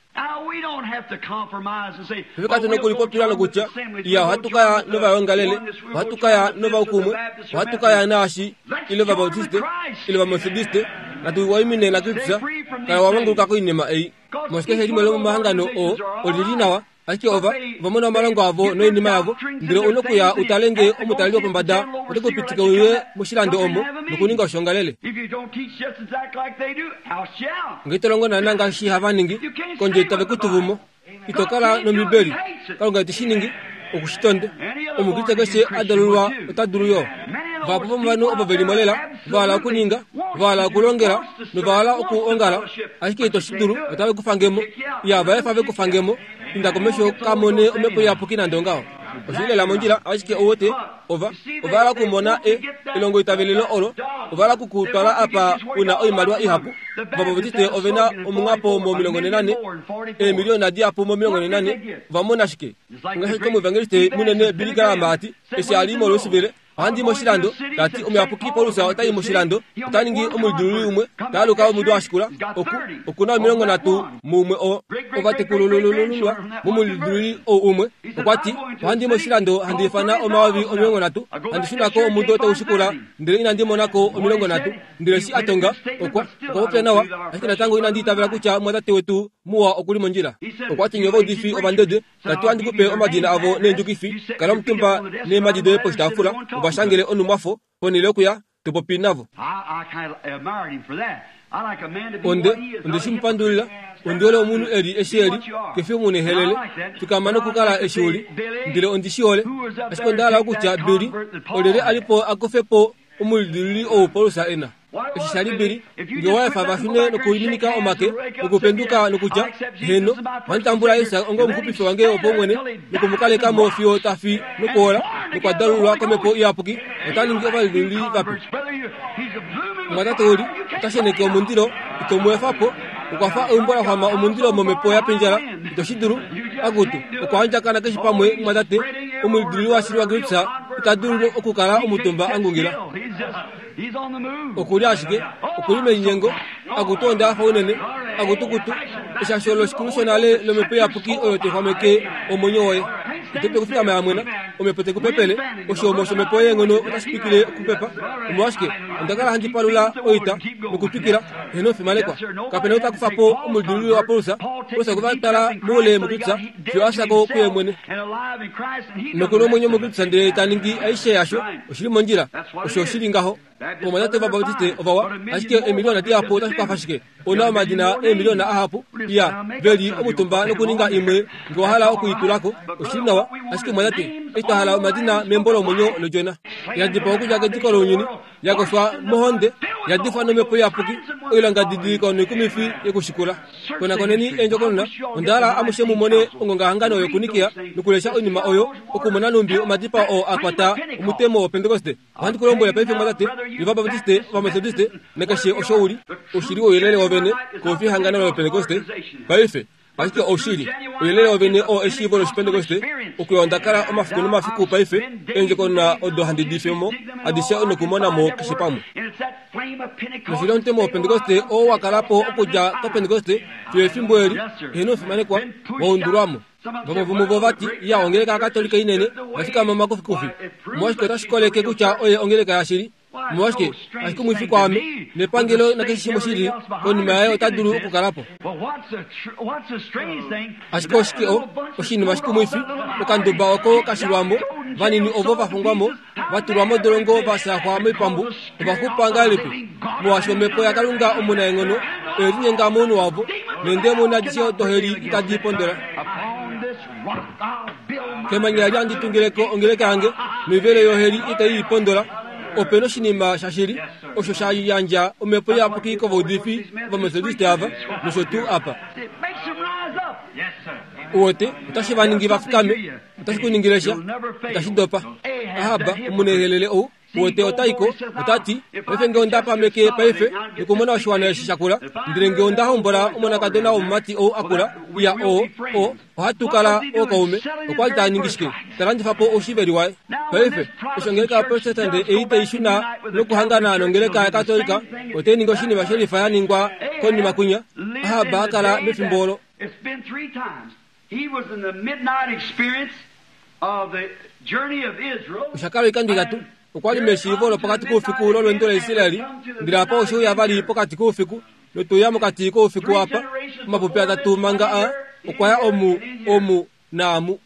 Fye katu na okulipopila nokutya, Iya, ohatu ka ya novaongalele, ohatu ka ya novaukumwe, ohatu ka ya naashi, ile Ovabautiste, ile Ovametodiste, natu waimine naKristus, kala wa manguluka koinima ei. Molwaashi keshe limwe lomomahangano oo oli li nawa, ashike ova, ova mona omalongo avo noinima yavo, ndele ou na okuya u tale nge omutaleli wopombada ote ku pitike uye moshilando omo nokuninga oshoongalele. Nge ito longo naana ngaashi hava ningi, kondje tave ku tuvu mo. Ito kala nOmbibeli. Kalunga ite shi ningi. Oku shi tonde. Omukriste keshe a dalulwa ota dulu yo. Vahapu vomovanhu ovo ve li mo lela, va hala okuninga, va hala okulongela, nova hala okuongala, ashike ito shi dulu, otave ku fange mo. Iya, va efa ve ku fange mo. Inda komesho ka mone Omhepo Iyapuki nande ongaho. Oshi li lela mondjila, ashike ou wete, ova, ova hala okumona e, elongoitavelelo olo. Ova hala oku ku twala apa u na oimaliwa ihapu. Ovabautiste ove na omunghapo mo 44, eemiliona dihapu mo 44. Ova mona shike? Ngaashi omuevangeliste munene Billy Graham a ti, eshi a li moLouisville, Ohandi i moshilando, ta ti, Omuyapuki Paulus ota i moshilando, ota ningi omulidululi umwe, ta aluka omudo wa shikula, oku, oku na 30 muumwe oo ovatekululululwa momulidululi ou umwe. Okwa ti, Ohandi i moshilando handi ifana 30,000, handi shuna ko omudo tau shikula, ndele inandi mona ko 30. Ndele eshi a tonga, okwa, okwa popya nawa, ashike natango inandi itavela kutya mumwatate wetu muwa oku li mondjila. Okwa ti, Nye ovaudifi ovandede, Ta ti ohandi ku pe omadina avo neendjukifi, kala omutumba neemhadi doye poshitaafula, u va shangele onhumwafo, ponhele yokuya to popi navo. Onde, onde shi mu pandulila. Ondi hole omunhu e li eshi e li, ke fi omunehelele. Fikama nokukala eshi u li. Ndele ondi shi hole. Ashike onda hala okutya, Billy, olyelye a li po a kufe po omulidiluli ou Paulus e na? Eshi sha li Billy, nge owa efa va shune nokuliminika omake, nokupenduka nokutya, Heeno, ohandi tambula Jesus onga omuxupifi wange wopaumwene, noku mu kaleka mo fiyo ta fi nokuhola, nokwa dalulwa kOmhepo Iyapuki, ota ningi ovalidiluli vape. Omumwatate Uli ota sheneke omundilo, ito mu efa po. Okwa fa eumbo la xwama omundilo momhepo ya pindjala, ito shi dulu. Akutu, okwa andjakana keshe pamwe, mumwatate. Omulidiluli washili waKristus ita dulu okukala omutumba a ngungila. Oku li ashike, oku li melinyengo, akutu onda hafa unene, akutukutu, eshasho loshikulu shonale lomhepo iyapuki oyo tai xwameke omwenyo woye. Ito dulu okufikama ya mwena, omhepo tai ku pepele, oshihomo shomhepo yeenghono otashi twikile okupepa. Omolwashike, onda kala handi palula oita nokutwikila, heeno fimanekwa. Kape na ou ta kufa po omulidiluli waPaulus, Paulus okwe va twala moule mokutya fiyo a fya ko kuye mwene. Noku na omwenyo muKristus ndele ta ningi aishe yasho, oshi li mondjila. Osho oshi li ngaho. Ovamwatate Ovabautiste ovawa, ashike eemiliona dihapu otashi kwafa shike? Ou na omadina eemiliona ahapu, iya, ve li omutumba nokuninga imwe nge wa hala oku i tula ko. Oshi li nawa, ashike mumwatate, eshi twa hala omadina membo lomwenyo lOdjona, ya dipawa okudja kediko lounyuni, ya kofwa mohonde, ya difwa nomhepo iyapuki, oilongadidiliko noikumifi yekushikula. Konakoneni eendjokonona, onda hala amushe mu mone ongongahangano yokuNikea nokulesha oinima oyo, okumona nhumbi omadipao oo a kwata omutemo wOpentekoste. Ohandi ku lombwele paife, mwatate, Ovabaptiste, Ovametodiste, nakeshe osho u li, oshili ouyelele wovene kau fi ehangano lOpentekoste paife. Ashike oushili, ouyelele wovene oo eshiivo lOshipentekoste, okuya onda kala omafiku nomafiku paife, eendjokonona odo handi di fe mo adishe nokumona mo keshe pamwe. Noshili omutemo wOpentekoste oo wa kala po okudja kOpentekoste fiyo efimbo eli, heeno fimanekwa, wa undulwa mo. Vamwe vomuvo va ti, Ya, ongeleka yaKatolika inene oya fikama omakufikufi. Omolwashike otashi koleke kutya oye ongeleka yashili? Omolwashike kashi kumwifi kwaame, nepangelo nakeshe shimwe shili konima yaye ota dulu okukala po. Ashike oshike o, oshinima shikumwifi, okanduba oko ka shilwa mo, vanini ovo va fungwa mo, va tulwa modolongo va shaxwa moipambu, ova xupa ngahelipi? Molwaashi omhepo yaKalunga omunaenghono oye linyenga mounhu wavo, neendemoni adishe doheli itadi pondola. Kemanya eli handi tungile ko ongeleka yange, noivelo yoheli itai i pondola. Ope noshinima shashili osho sha yandja omhepo iyapuki kovaudifi vOmethodiste ava, nosho tuu apa. Uwete, otashi va ningi va fikame. Otashi ku ningile sha. Itashi dopa. Ahab, omunehelele ou, Uwete, ota i ko, ota ti, Paife nge onda pameke paife nokumona oshiwana eshi sha kula, ndele nge onda hombola omonakadona womumati ou a kula, iya, o, o, ohatu kala ookaume. Okwa li ta ningi shike? Ta landifa po oushiveli waye. Paife, eshi ongeleka yaProtestante ei tai shuna nokuhangana nongeleka yaKatolika, otai ningi oshinima shelifa ya ningwa konima kwinya, Ahab a kala mefimbo olo. Osha kala oikando itatu. Okwa li meshiivo lopokati koufiku lolweendo laIsrael, ndele apa oshe uya vali pokati koufiku, notwe uya mokati koufiku apa, omapupi atatu manga a, okwa ya omu, omu, naamu.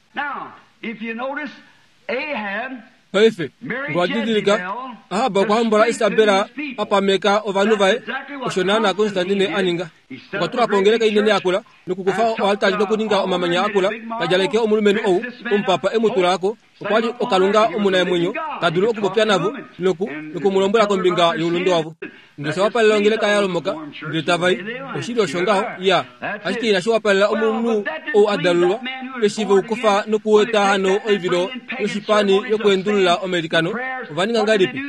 Paife, nge owa didilika, Ahab okwa hombola Isabel a pameka ovanhu vaye, osho naanaa Constantine a ninga. Okwa tula po ongeleka inene yakula, nokukufa oaltari nokuninga omamanya akula, ta djaleke omulumenhu ou, omupapa e mu tula ko, okwa li okalunga omunaemwenyo, ta dulu okupopya navo, noku, noku mu lombwela kombinga youlunde wavo. Ndele osha wapalela ongeleka ya lomoka, ndele tava i. Oshili osho ngaho, ya. Ashike inashi wapalela omunhu ou a dalulwa, eshi ve u kufa nokueta hano oivilo yoshipani yokuendulula omailikano. Ova ninga ngahelipi?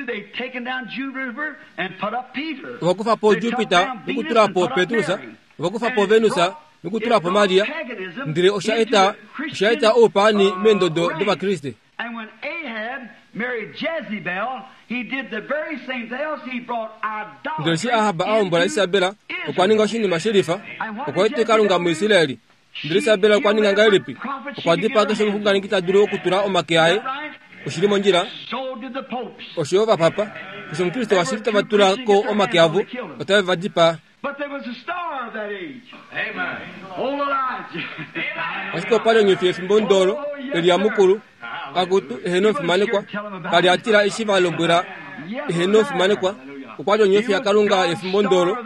Ova kufa po Jupiter nokutula po Petrus. Ova kufa po Venus nokutula po Maria. Ndele osha eta, osha eta oupaani meendodo dOvakriste. And when Ahab married Jezebel, he did the very same thing else. He brought Ndele eshi idolatry Ahab a hombola into Isabel, okwa Israel. ninga oshinima shelifa. And what Okwa did eta Kalunga Jezebel do? muIsraeli. Ndele She Isabel okwa killed ninga every ngahelipi? prophet she Okwa could get dipaa her keshe hands on. omuxunganeki ta dulu okutula omake Is aye. that right? Oshi li mondjila. So did the popes. Osho yo ovapapa. Keshe Omukriste Every washili tava true tula Christian ko gets their omake hands on avo, to kill them. otave va dipaa. But there was a star of that age. Amen. Old Elijah. Ashike opa li onyofi yefimbo ndolo, Elia mukulu, akutu, eheno omufimanekwa, ka li a tila eshi va lombwela eheno omufimanekwa. Okwa li onyofi yaKalunga yefimbo ndolo,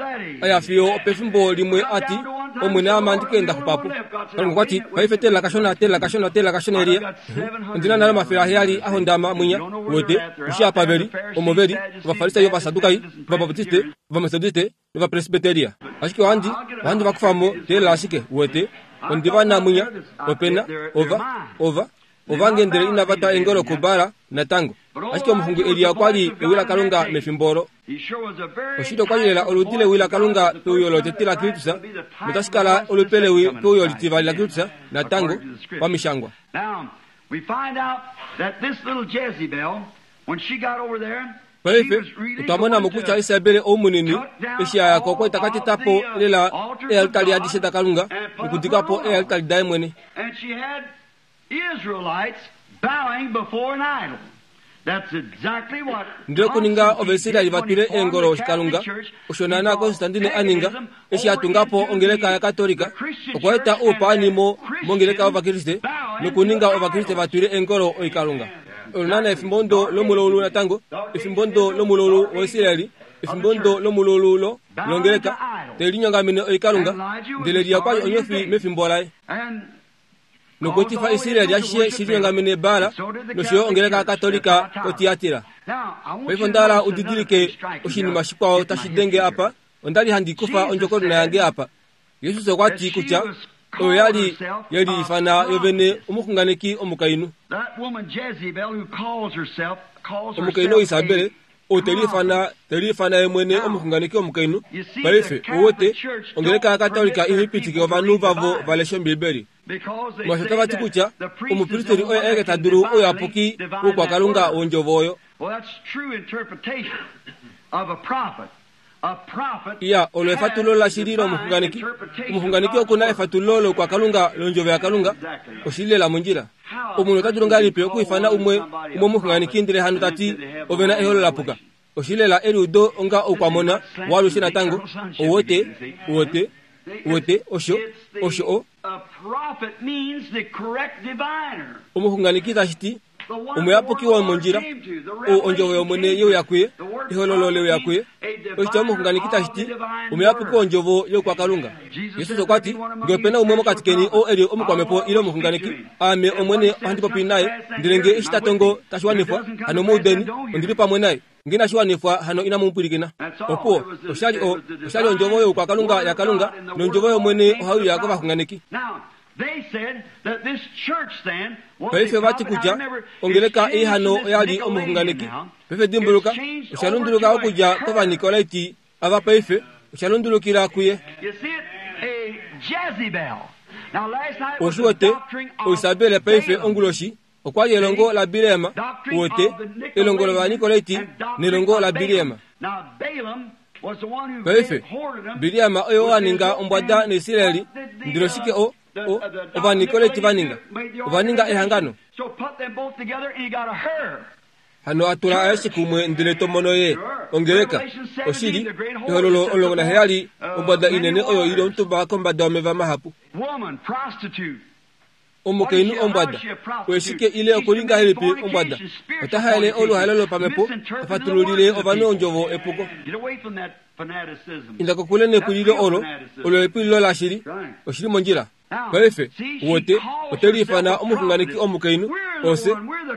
a ya fiyo opefimbo limwe a ti, Omwene ame ohandi ka enda xupa po. Kalunga okwa ti, Paife teelela kashona, teelela kashona, teelela kashona, Elia. Ondi na nale 700 a hondama mwinya, uwete, u shii apa ve li, omo ve li, Ovafarisai, Ovasadukai, Ovabaptiste, Ovametodiste, nOvapresbiteria. Ashike ohandi, ohandi va kufa mo, teelela ashike, uwete. Ondi va na mwinya, ope na, ova, ova, ovange ndele inava twa eengolo kuBaal natango. Ashike omuxungu Elia okwa li ewi laKalunga mefimbo olo. Oshili okwa li lela oludi lewi laKalunga peuyo lotete laKristus, notashi kala olupe lewi peuyo litivali laKristus natango, pamishangwa. Paife, otwa mona mo kutya Isabel ou munini, eshi a ya ko okwa ka teta po lela eealtari adishe daKalunga nokudika po eealtari daye mwene. Ndele okuninga Ovaisraeli va twile eengolo oshikalunga, osho naanaa Constantine a ninga eshi a tunga po ongeleka yaKatolika, okwa eta oupaani mo, mongeleka yOvakriste nokuninga Ovakriste va twile eengolo oikalunga. Olo naanaa efimbo ndo lomulaulu natango, efimbo ndo lomulaulu waIsraeli, efimbo ndo lomulaulu lo, longeleka, te linyongamene oikalunga, ndele Elia okwa li onyofi mefimbo laye. Nokuetifa Israel ashishe shi linyongamene Baal nosho yo ongeleka yaKatolika koTiatira. Paife onda hala u didilike oshinima shikwao tashi denge apa. Onda li handi kufa ondjokonona yange apa. Jesus okwa ti kutya oyo ya li ye liifana yo vene omuxunganeki omukainhu. Omukainhu Oisabel ou te liifana te liifana ye mwene omuxunganeki omukainhu. Paife, ou wete, ongeleka yaKatolika ihai pitike ovanhu vavo va leshe Ombibeli. Molwaashi otava ti kutya omupristeri oye aeke ta dulu ouyapuki woukwakalunga wondjovo oyo. Iya, olo efatululo lashili lomuxunganeki. Omuxunganeki oku na efatululo loukwakalunga lOndjovo yaKalunga. Oshi li lela mondjila. Omunhu ota dulu ngahelipi okwiifana umwe umwe omuxunganeki ndele hano ta ti ove na eholo la puka? Oshilela eliudo onga oukwamona waalushe natango. Ouwete, uwete, uwete, osho, osho o. Omuxunganeki tashi ti, Omuyapuki womondjila, ou ondjovo yOmwene ye uya kuye, ehololo le uya kuye. Oshitya omuxunganeki tashi ti, Omuyapuki wondjovo youkwakalunga. Jesus okwa ti, Nge ope na umwe mokati keni oo e li omukwamhepo ile omuxunganeki, Aame Omwene ohandi popi naye, ndele nge eshi ta tongo tashi wanifwa, hano mu udeni, ondi li pamwe naye. Nge inashi wanifwa, hano inamu mu pwilikina. Opuwo, osha li o, osha li ondjovo youkwakalunga yaKalunga, nondjovo yOmwene ohai uya kovaxunganeki. Paife ova ti kutya ongeleka ei hano oya li omuxunganeki. Paife dimbuluka, osha lunduluka okudja kOvanikolaiti ava paife, osha lundulukila kuye. Ou wete, Oisabel paife onguloshi okwa li elongo laBileam, u wete, elongo lOvanikolaiti nelongo laBileam. Paife, Bileam oye oo a ninga ombwada naIsrael, ndele oshike o, o, Ovanikolaiti va ninga? Ova ninga ehangano. Hano a tula aeshe kumwe ndele to mono ye ongeleka. Oshili, Ehololo 17, ombwada inene oyo i li omutumba kombada yomeva mahapu. Omukainhu ombwada, oye shike ile oku li ngahelipi ombwada? Ota haele oluhaelo lopamhepo, ta fatululile ovanhu ondjovo epuko. Inda kokule nepwililo olo, olo epwililo lashili. Oshi li mondjila. Paife, uwete, ote liifana omuxunganeki omukainhu, ose,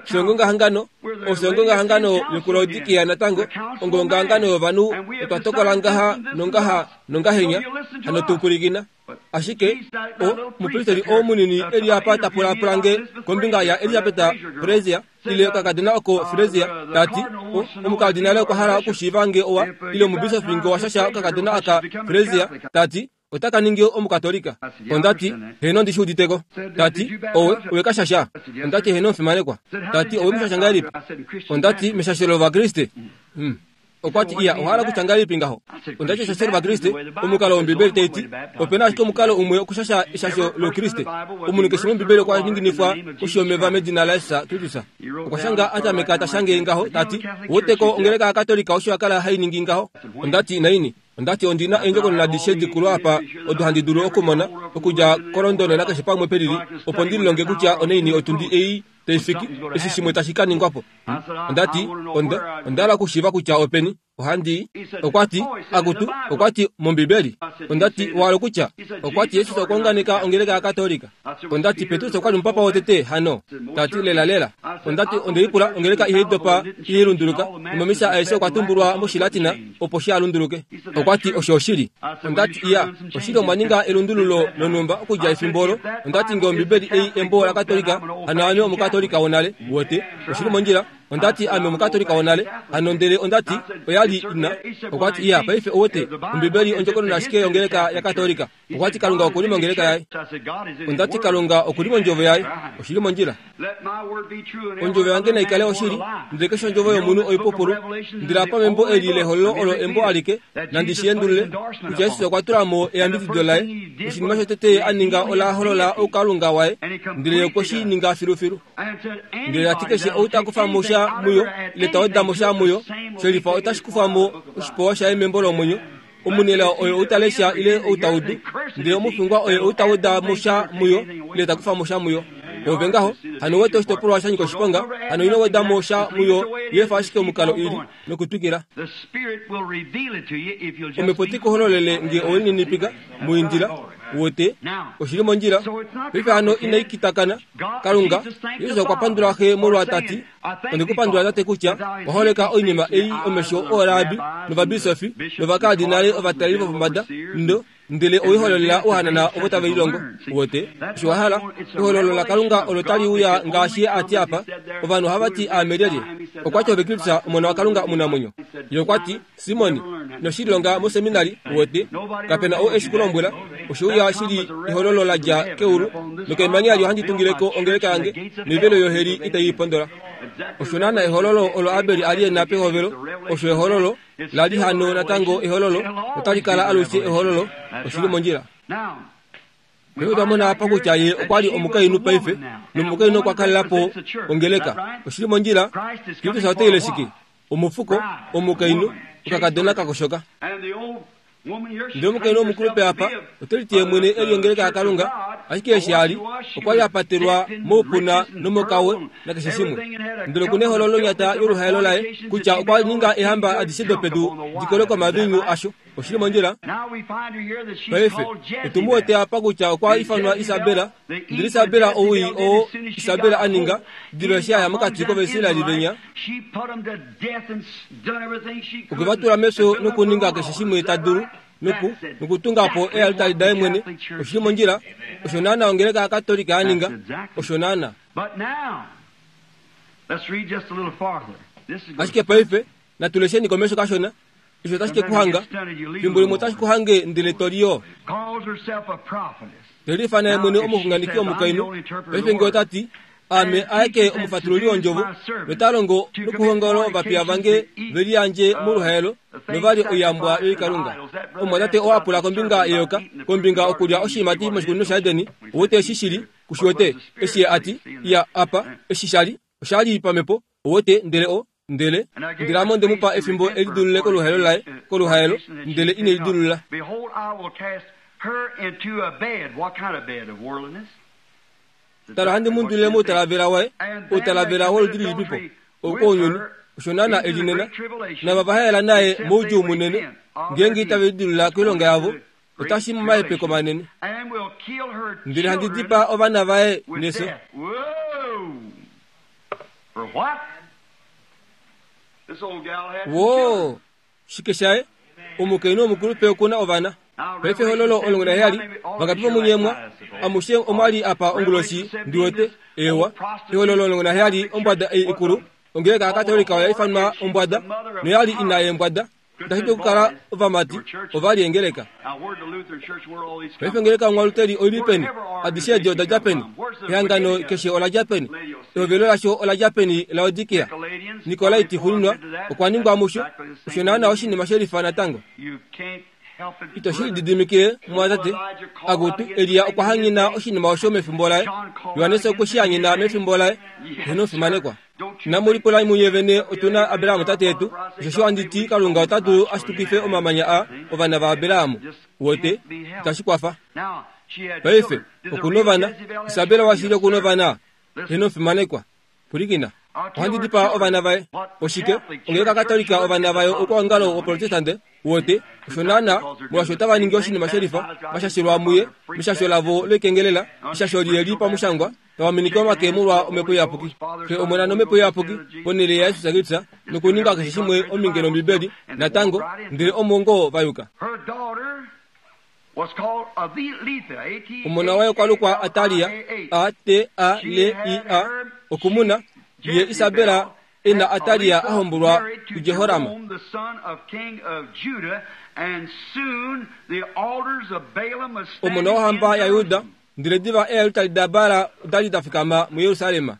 fye ongongahangano, ofye ongongahangano yokuLaodikia natango, ongongahangano yovanhu, otwa tokola ngaha nongaha nongahenya, hano tu pwilikina. Ashike, o, omupristeli oo munini e li apa ta pulaapula nge kombinga yaElisabeta Frazier, ile okakadona oko Frazier, ta ti, o, omukardinale okwa hala okushiiva nge owa, ile omubisofi nge owa shasha okakadona aka Frazier, ta ti, ota ka ningi Omukatolika. Onda ti, Heeno, ondi shi udite ko. Ta ti, Owe, owe ka shasha? Onda ti, Heeno, omufimanekwa. Ta ti, Owe mu shasha ngahelipi? Onda ti, Meshasho lOvakriste. Hum. Okwa ti, Iya, owa hala kutya ngahelipi ngaho? Onda ti, Eshasho lOvakriste, omukalo wOmbibeli tai ti, ope na ashike omukalo umwe okushasha eshasho lOukriste. Omunhu keshe mOmbibeli okwa ninginifwa koshi yomeva medina laJesus Kristus. Okwa shanga a tameka ta shange ngaho, ta ti, Ouwete ko ongeleka yaKatolika osho ya kala hai ningi ngaho? Onda ti, Naini? Onda ti ondi na eendjokonona adishe dikulu apa odo handi dulu okumona, okudja koLondon nakeshe pamwe pelili, opo ndi lilonge kutya onaini otundi ei tai fiki, eshi shimwe tashi ka ningwa po. Onda ti, Onda, onda hala okushiiva kutya openi. Ohandi. Okwa ti, Akutu, okwa ti, mOmbibeli. Onda ti, Owa hala okutya? Okwa ti, Jesus okwa unganeka ongeleka yaKatolika. Onda ti, Petrus okwa li omupapa wotete, hano? Ta ti, Lelalela. Onda ti, Onde lipula, ongeleka ihai dopa, ihai lunduluka, nomomisa aeshe okwa tumbulwa mOshilatina, opo shi a lunduluke. Okwa ti, Osho oshili. Onda ti, Iya, oshili omwa ninga elundululo lonhumba okudja efimbo olo. Onda ti, Nge Ombibeli ei embo laKatolika, hano ame Omukatolika wonale. Uwete? Oshi li mondjila. Onda ti, Ame Omukatolika wonale. Hano ndele onda ti, Oya li ina. Okwa ti, Iya, paife uwete, Ombibeli ondjokonona ashike yongeleka yaKatolika. Okwa ti Kalunga oku li mongeleka yaye. Onda ti Kalunga oku li mondjovo yaye. Oshi li mondjila. Ondjovo yange nai kale oshili, ndele keshe ondjovo yomunhu oipupulu. Ndele apa membo eli lehololo olo embo alike, nandi shi endulule, kutya Jesus okwa tula mo eyambidido laye. Oshinima shotete ye a ninga ola holola oukalunga waye, ndele ye okwe shi ninga filufilu. Ndele ta ti keshe ou ta kufa mo sha muyo, ile ta weda mo sha muyo, shelifa otashi kufa mo oshipewa shaye membo lomwenyo. Omunelao oye ou ta lesha ile ou ta udu, ndele omufingwa oye ou ta weda mo sha muyo ile ta kufa mo sha muyo. Ove ngaho, hano wete oshitopolwa sha nyika oshiponga, hano ino weda mo sha muyo, yefa ashike omukalo i li, nokutwikila. Omhepo te ku hololele nge owe lininipika, mu indila, Wote, oshi li mondjila. Paife hano inai kitakana. Kalunga, Jesus okwa pandula Xe molwa ta ti, Onde ku pandula Tate kutya wa holeka oinima ei omesho ooraabi novabisofi novakaadinale ovataleli vopombada ndo ndele owe hololela ouhanana ovo tave lilongo. Wote, osho wa hala. Ehololo laKalunga olo tali uya ngaashi Ye a ti apa. Ovanhu ohava ti aame lyelye? Okwa ti ove Kristus, Omona waKalunga omunamwenyo. Ye okwa ti, Simon, ino shi lilonga moseminari, uwete. Kape na ou e shi ku lombwela. Oshe uya shi li ehololo la dja keulu, nokemanya eli ohandi tungile ko ongeleka yange, noivelo yoheli itai i pondola. Osho naana ehololo olo Abel a li e na pehovelo, osho ehololo, la li hano natango ehololo, notali kala alushe ehololo. Oshi li mondjila. Paife otwa mona apa kutya ye okwa li omukainhu paife, nomukainhu okwa kalela po ongeleka. Oshi li mondjila. Kristus ote ile shike? Omufuko, omukainhu, okakadona ka koshoka. Ndele omukainhu omukulupe apa ote liti ye mwene e li ongeleka yaKalunga, ashike eshi a li, okwa li a patelwa moupuna nomokawe nakeshe shimwe. Ndele oku na eholo lonyata yoluhaelo laye, kutya okwa ninga eehamba adishe dopedu di kolwe komaviinyu asho. Oshi li mondjila? Paife, otu mu wete apa kutya okwa ifanwa Isabela. Ndele Isabela owii oo Isabela a ninga, diva eshi a ya mokati kOvaisraeli venya, okwe va tula mefyo nokuninga keshe shimwe ta dulu, noku, nokutunga po eealtari daye mwene. Oshi li mondjila? Osho naana ongeleka yaKatolika ya ninga. Osho naana. Ashike paife, natu lesheni komesho kashona. Osho otashi ke ku hanga. Fimbo limwe otashi ku hange ndele to li yo. Te liifana ye mwene omuxunganeki omukainhu. Paife nge ota ti, Aame aeke omufatululi wondjovo, nota longo nokuhongola ovapiya vange ve liyandje moluhaelo nova li oiyambwa yoikalunga. Omumwatate oo a pula kombinga yeyoka, kombinga okulya oshiimati moshikunino shaEden, ou te shi shili, ku shi wete, eshi ye a ti, Iya, apa, eshi sha li, osha li pamhepo, ou wete, ndele o, Ndele, ndele ame onde mu pa efimbo e lidulule koluhaelo laye, koluhaelo, ndele ine lidulula. Tala, ohandi mu undulile moutalavela waye, outalavela woludi lilipipo? Ounyuni. Osho naana e li nena. Nava va haela naye moudjuu munene, ngeenge itave lidulula koilonga yavo, otashi momahepeko manene. Ndele handi dipaa ovana vaye nefyo. Woo! Shike shaye? Omukainhu womukulupe oku na ovana. Paife ehololo 17, vangapi vomunye mwa, amushe omwa li apa onguloshi, ndi wete? Eewa. Ehololo 17, ombwada ei ikulu, ongeleka yaKatolika oya ifanwa ombwada, noya li ina yeembwada. Itashi dulu okukala ovamati ova li engeleka. Paife ongeleka yOmwaluteri oi li peni? Adishe edi oda dja peni? Ehangano keshe ola dja peni? Ehovelo lasho ola dja peni Laodikia? Nikolaiti xuuninwa okwa ningwa musho. Osho naanaa oshinima she lifa natango. Ito shi lididimikile, mumwatate. Akutu, Elia okwa hanyena oshinima osho mefimbo laye. Johannes okwe shi hanyena mefimbo laye. Heeno, fimanekwa. Inamu lipula munye vene, otu na Abraham tate yetu. Osheshi ohandi ti, Kalunga ota dulu a shitukife omamanya aa ovana vaAbraham. Uwete, itashi kwafa. Paife, oku novana. Isabel washili oku novana. Heeno, fimanekwa. Pwilikina. Ohandi dipaa ovana vaye. Oshike? Ongeleka Katolika ovana vayo oukwaongalo woProtestante. Uwete, osho naana, molwaashi otava ningi oshinima shelifa, va shashelwa muye, meshasho lavo loikengelela, eshasho lihe li pamushangwa, tava minike omake molwa Omhepo Iyapuki, Xe, Omona nOmhepo Iyapuki, ponhele yaJesus Kristus, nokuninga keshe shimwe ominge nOmbibeli, natango, ndele omo ngoo va yuka. Omona waye okwa lukwa Atalia, A-T-A-L-I-A, okumuna, ye Isabela e na Atalia a hombolwa kuJehoram. Omona wohamba yaJuda Ndele diva eealtari daBaal oda li da fikama muJerusalem.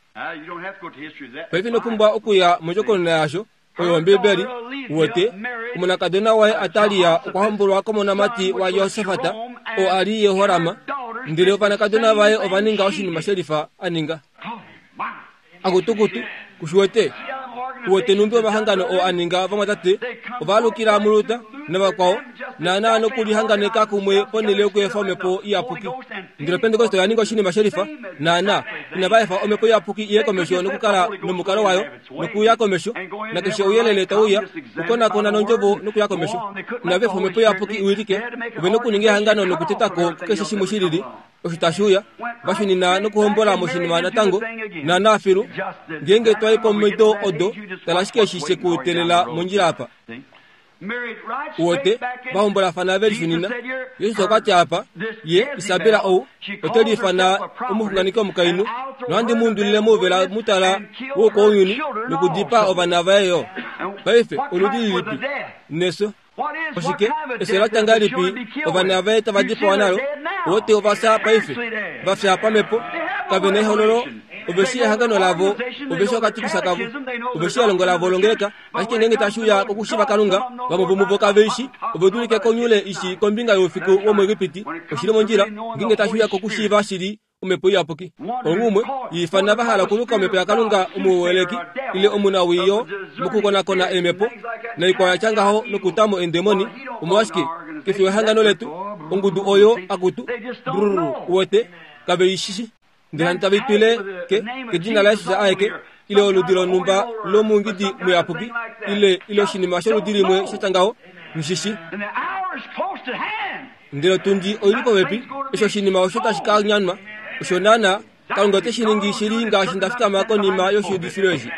Paife ino pumbwa okuya mondjokonona yaasho, oyo Ombibeli. Uwete, omonakadona waye Atalia okwa hombolwa komonamati waJehosafat, oo a li Jehoram, ndele ovanakadona vaye ova ninga oshinima shelifa a ninga. Akutukutu, ku shi wete? Uwete nhumbi omahangano oo a ninga ovamwatate ova alukila muLuther navakwao, naanaa nokulihanganeka kumwe ponhele yokuefa Omhepo Iyapuki. Ndele Opentekoste oya ninga oshinima shelifa, naanaa, inava efa Omhepo Iyapuki iye komesho nokukala nomukalo wayo, nokuya komesho, nakeshe ouyelele tau uya, kukonakona nOndjovo nokuya komesho. Inava efa Omhepo Iyapuki i wilike, ove nokuninga ehangano nokuteta ko kukeshe shimwe shilili. Osho tashi uya, va shunina nokuhombola moshinima natango, naanaa filu. Ngeenge twa i komido odo, tala ashike eshi she ku teelela mondjila apa. Uwete, va hombolafana ve lishunina. Jesus okwa ti apa, Ye, Isabela ou, ote liifana omuxunganeki omukainhu, nohandi mu undulile mouvela mutala woukwaunyuni nokudipaa ovana vaye yo. Paife, oludi lilipi? Nefyo. Oshike? Efyo la tya ngahelipi ovana vaye tava dipawa nalo? Wote ova fya paife, va fya pamhepo, kave na ehololo, ove shii ehangano lavo, ove shii okatikisa kavo, ove shii elongo lavo longeleka, ashike ngeenge tashi uya kokushiva Kalunga, vamwe vomuvo kave i shii, ove dulike konyule i shii kombinga youfiku womuEgipiti, oshi li mondjila, ngeenge tashi uya kokushiiva shili. Omhepo Iyapuki. Onghumwe yiifana va hala okuluka Omhepo yaKalunga omuweleki ile omunawiyo mokukonakona eemhepo naikwao ya tya ngaho nokuta mo eendemoni. Omolwashike, kefi wehangano letu, ongudu oyo, akutu, brrr, uwete, kave i shi shi. Ndele handi tave i twile ke, kedina laJesus aeke, ile oludi lonhumba lomungidi muyapuki, ile, ile oshinima sholudi limwe sha tya ngaho, nghi shi shi. Ndele otundi oi li popepi, eshi oshinima osho tashi ka nyanwa. Osho naanaa, Kalunga ote shi ningi shili ngaashi nda fikama konima yoshiudifilo eshi.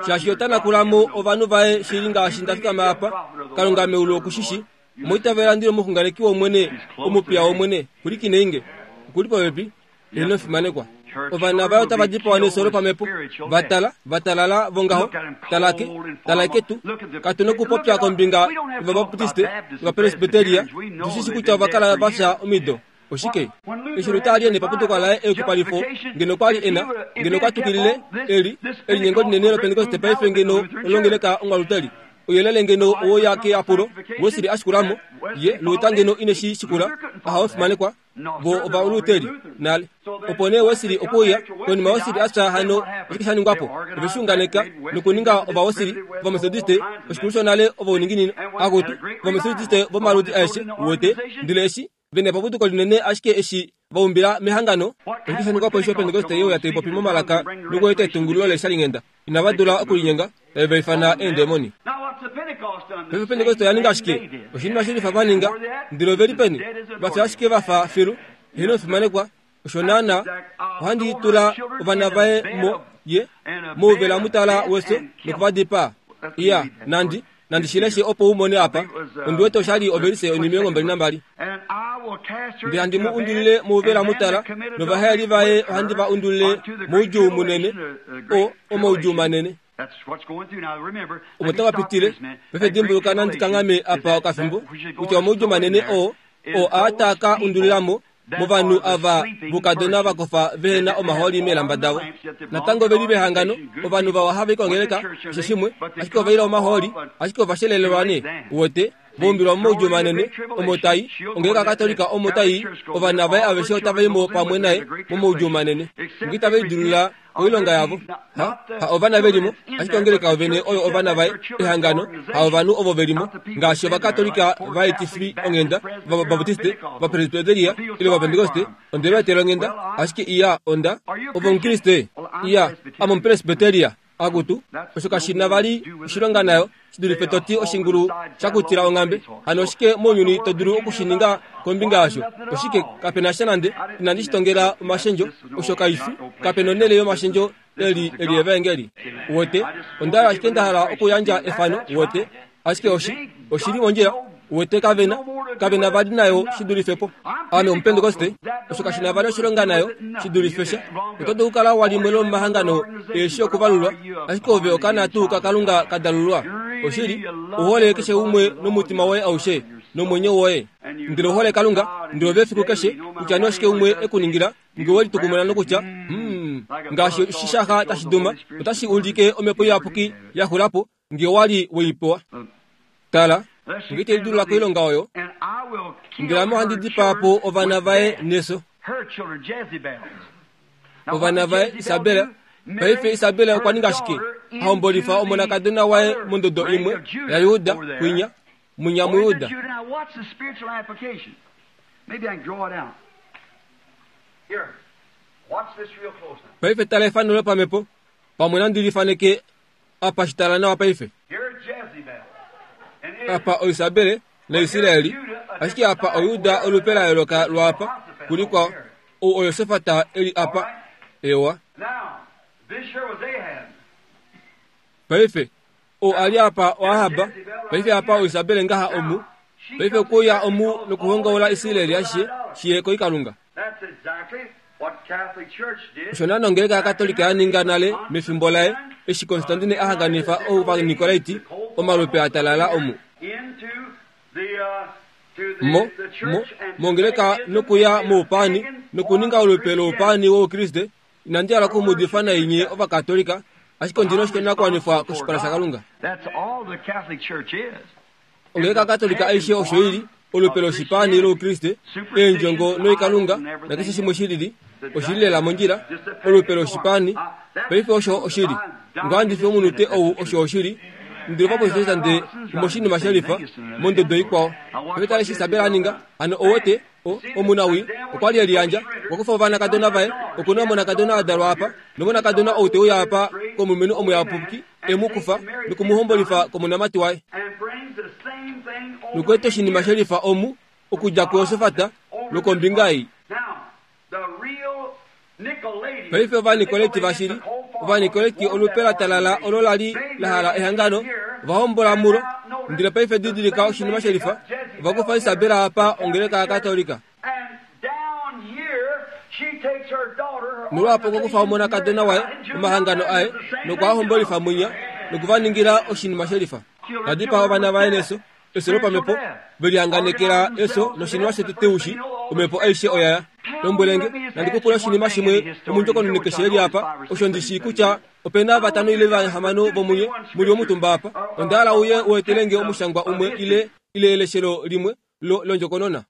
Shaashi ota nakula mo ovanhu vaye shili ngaashi nda fikama apa. Kalunga meulu oku shi shi. Omwa itavela ndi li omuxunganeki wOmwene, omupiya wOmwene. Pwilikinei nge. Oku li popepi. Ino fimanekwa. Ovana vaye otava dipawa nefyo lopamhepo. Va tala, va talala vongaho. Tala ke, tala ketu. Katu nokupopya kombinga yOvabaptiste, yOvapresbiteria. Tu shi shi kutya ova kala va fya omido. Oshike? Eshi Luther a li e nepapuduko laye eyukipalifo, ngeno okwa li e na, ngeno okwa twikilile, eli, elinyengo linene lOpentekoste paife ngeno olongeleka Ongwaluteri. Ouyelele ngeno owe uya keyapulo, Wesley a shikula mo, ye, Luther ngeno ine shi shikula. Ahawe fimanekwa. Vo Ovaluteri nale. Opo nee Wesley okwe uya, konima Wesley a fya hano oshike sha ningwa po? Ove shi unganeka nokuninga Ovawesley, Ovametodiste, oshikulu shonale ovauninginino, akutu, Ovametodiste vomaludi aeshe, uwete. Ndele eshi, ve na epapuduko linene ashike eshi va umbila mehangano, oshike sha ningwa po eshi Opentekoste ye uya tai popi momalaka nokueta etungululo leeshalinghenda? Inava dula okulinyenga, tave va ifana eendemoni. Paife Opentekoste oya ninga shike? Oshinima shilifa va ninga. Ndele ove li peni? Va fya ashike va fa filu. Heeno omufimanekwa, osho naanaa. Ohandi tula ovana vaye mo, ye, mouvela mutala wefyo noku va dipaa. Iya, nandi, Nandi shi leshe opo u mone apa. Ondi wete osha li ovelise onhimilongo 22. Ndele handi mu undulile mouvela mutala, novahaeli vaye ohandi va undulile moudjuu munene, o, omaudjuu manene. Omo tava pitile. Paife dimbuluka nandi kanghame apa okafimbo, kutya omaudjuu manene oo, oo aa taa ka undulila mo, movanhu ava voukadona va kofa vehe na omahooli meelamba davo. Natango ove li vehangano, ovanhu vawa hava i kongeleka, keshe shimwe, ashike ova ila omahooli, ashike ova shelelelwa nee, uwete, va umbilwa momaudjuu manene, omo tai, ongeleka yaKatolika omo tai i, ovana vaye aveshe otava i mo pamwe naye momaudjuu manene. Nge itave lidilulula koilonga yavo. Ha, ha ovana ve li mo, ashike ongeleka yovene oyo ovana vaye, ehangano, ha ovanhu ovo ve li mo, ngaashi Ovakatolika vaetifi onghenda, Ovabaptiste, Ovapresbiteria, ile Ovapentekoste, onde va etela onghenda, ashike iya, onda. Ove Omukriste? Iya, ame Omupresbiteria. Akutu, osho kashi na vali oshilonga nayo. shi dulife to ti oshingulu sha kutila onghambe. Hano oshike mounyuni to dulu oku shi ninga kombinga yasho? Oshike, kape na sha nande. Inandi shi tongela omashendjo. Osho kai fi. Kape nonhele yomashendjo eli, eli Evaengeli. Uwete? Onda hala ashike nda hala okuyandja efano, uwete. Ashike oshi, oshi li mondjila. Uwete, kave na, kave na vali nayo shi dulife po. Ame Omupentekoste, osho kashi na vali oshilonga nayo shi dulife sha. Oto dulu okukala wa limwe lomomahangano eeshi okuvalulwa, ashike ove okaana tuu kaKalunga ka dalulwa. Oshili, u hole keshe umwe nomutima woye aushe, nomwenyo woye. Ndele u hole Kalunga, ndele ove efiku keshe, kutya nee oshike umwe e ku ningila, nge we litukumuna nokutya, Hum, ngaashi oshishaxa tashi duma, otashi ulike Omhepo Iyapuki ya xula po, nge wa li we i pewa. Tala, nge te lidulula koilonga oyo, ndele ame ohandi dipaa po ovana vaye nefyo. Ovana vaye, Isabel. Paife Isabel okwa ninga shike? A hombolifa omonakadona waye mondodo imwe yaJuda kwinya, mwinya muJuda. Paife tala efano lopamhepo. Pamwe nandi li faneke Apa shi tala nawa paife. Apa oIsabele naIsraeli, ashike apa oJuda olupe la yooloka lwaapa kulikwao. Ou oJosafat e li apa. Ewa. Paife, ou a li apa oAhab, paife apa oIsabele ngaha omu. Paife okwe uya omu nokuhongaula Israeli ashishe shi ye koikalunga. Osho naana ongeleka yaKatolika ya ninga nale mefimbo laye eshi Constantine a hanganifa Ovanikolaiti omalupe a talala omu mo mo mongeleka nokuya moupaani nokuninga olupe loupaani wOukriste. Inandi hala oku mu udifa nai nye Ovakatolika, ashike ondi na oshinakuwanifwa koshipala shaKalunga. Ongeleka yaKatolika aishe osho i li. olupe loshipaani loukriste, eendjongo noikalunga, nakeshe shimwe shilili, oshili lela mondjila, olupe loshipaani. Paife osho oshili. Ngahandi fi omunute ou osho oshili. Ndele ovaprotestante omoshinima shelifa mondodo ikwao. Paife tala eshi Isabel a ninga. Hano owete, o, omunawii, okwa li e liyandja, okwa kufa ovanakadona vaye, oku na omonakadona a dalwa apa, nomonakadona ou te uya apa komulumenhu omuyapuki, e mu kufa noku mu hombolifa komonamati waye. Nokueta oshinima shelifa omu, okudja kuJosafat lwokombinga ei. Paife Ovanikoleti vashili, Ovanikoleti olupe la talala olo la li la hala ehangano, ova hombola mulo. Ndele paife didilika oshinima shelifa, ova kufa Isabel apa ongeleka yaKatolika. Nolwaapo okwa kufa omonakadona waye, omahangano aye, nokwa hombolifa mwinya, noku va ningila oshinima shelifa. Ta dipaa ovana vaye neso, efyo lopamhepo, ve lihanganekela efyo noshinima shetete ushi, omhepo aishe oya ya. Lombwelenge, nandi ku pule oshinima shimwe omundjokononi keshe e li apa, osho ndi shii kutya ope na vatano ile vahamano vomunye mu li omutumba apa. Onda hala uye u etele nge omushangwa umwe ile, ile eleshelo limwe lo, londjokonona.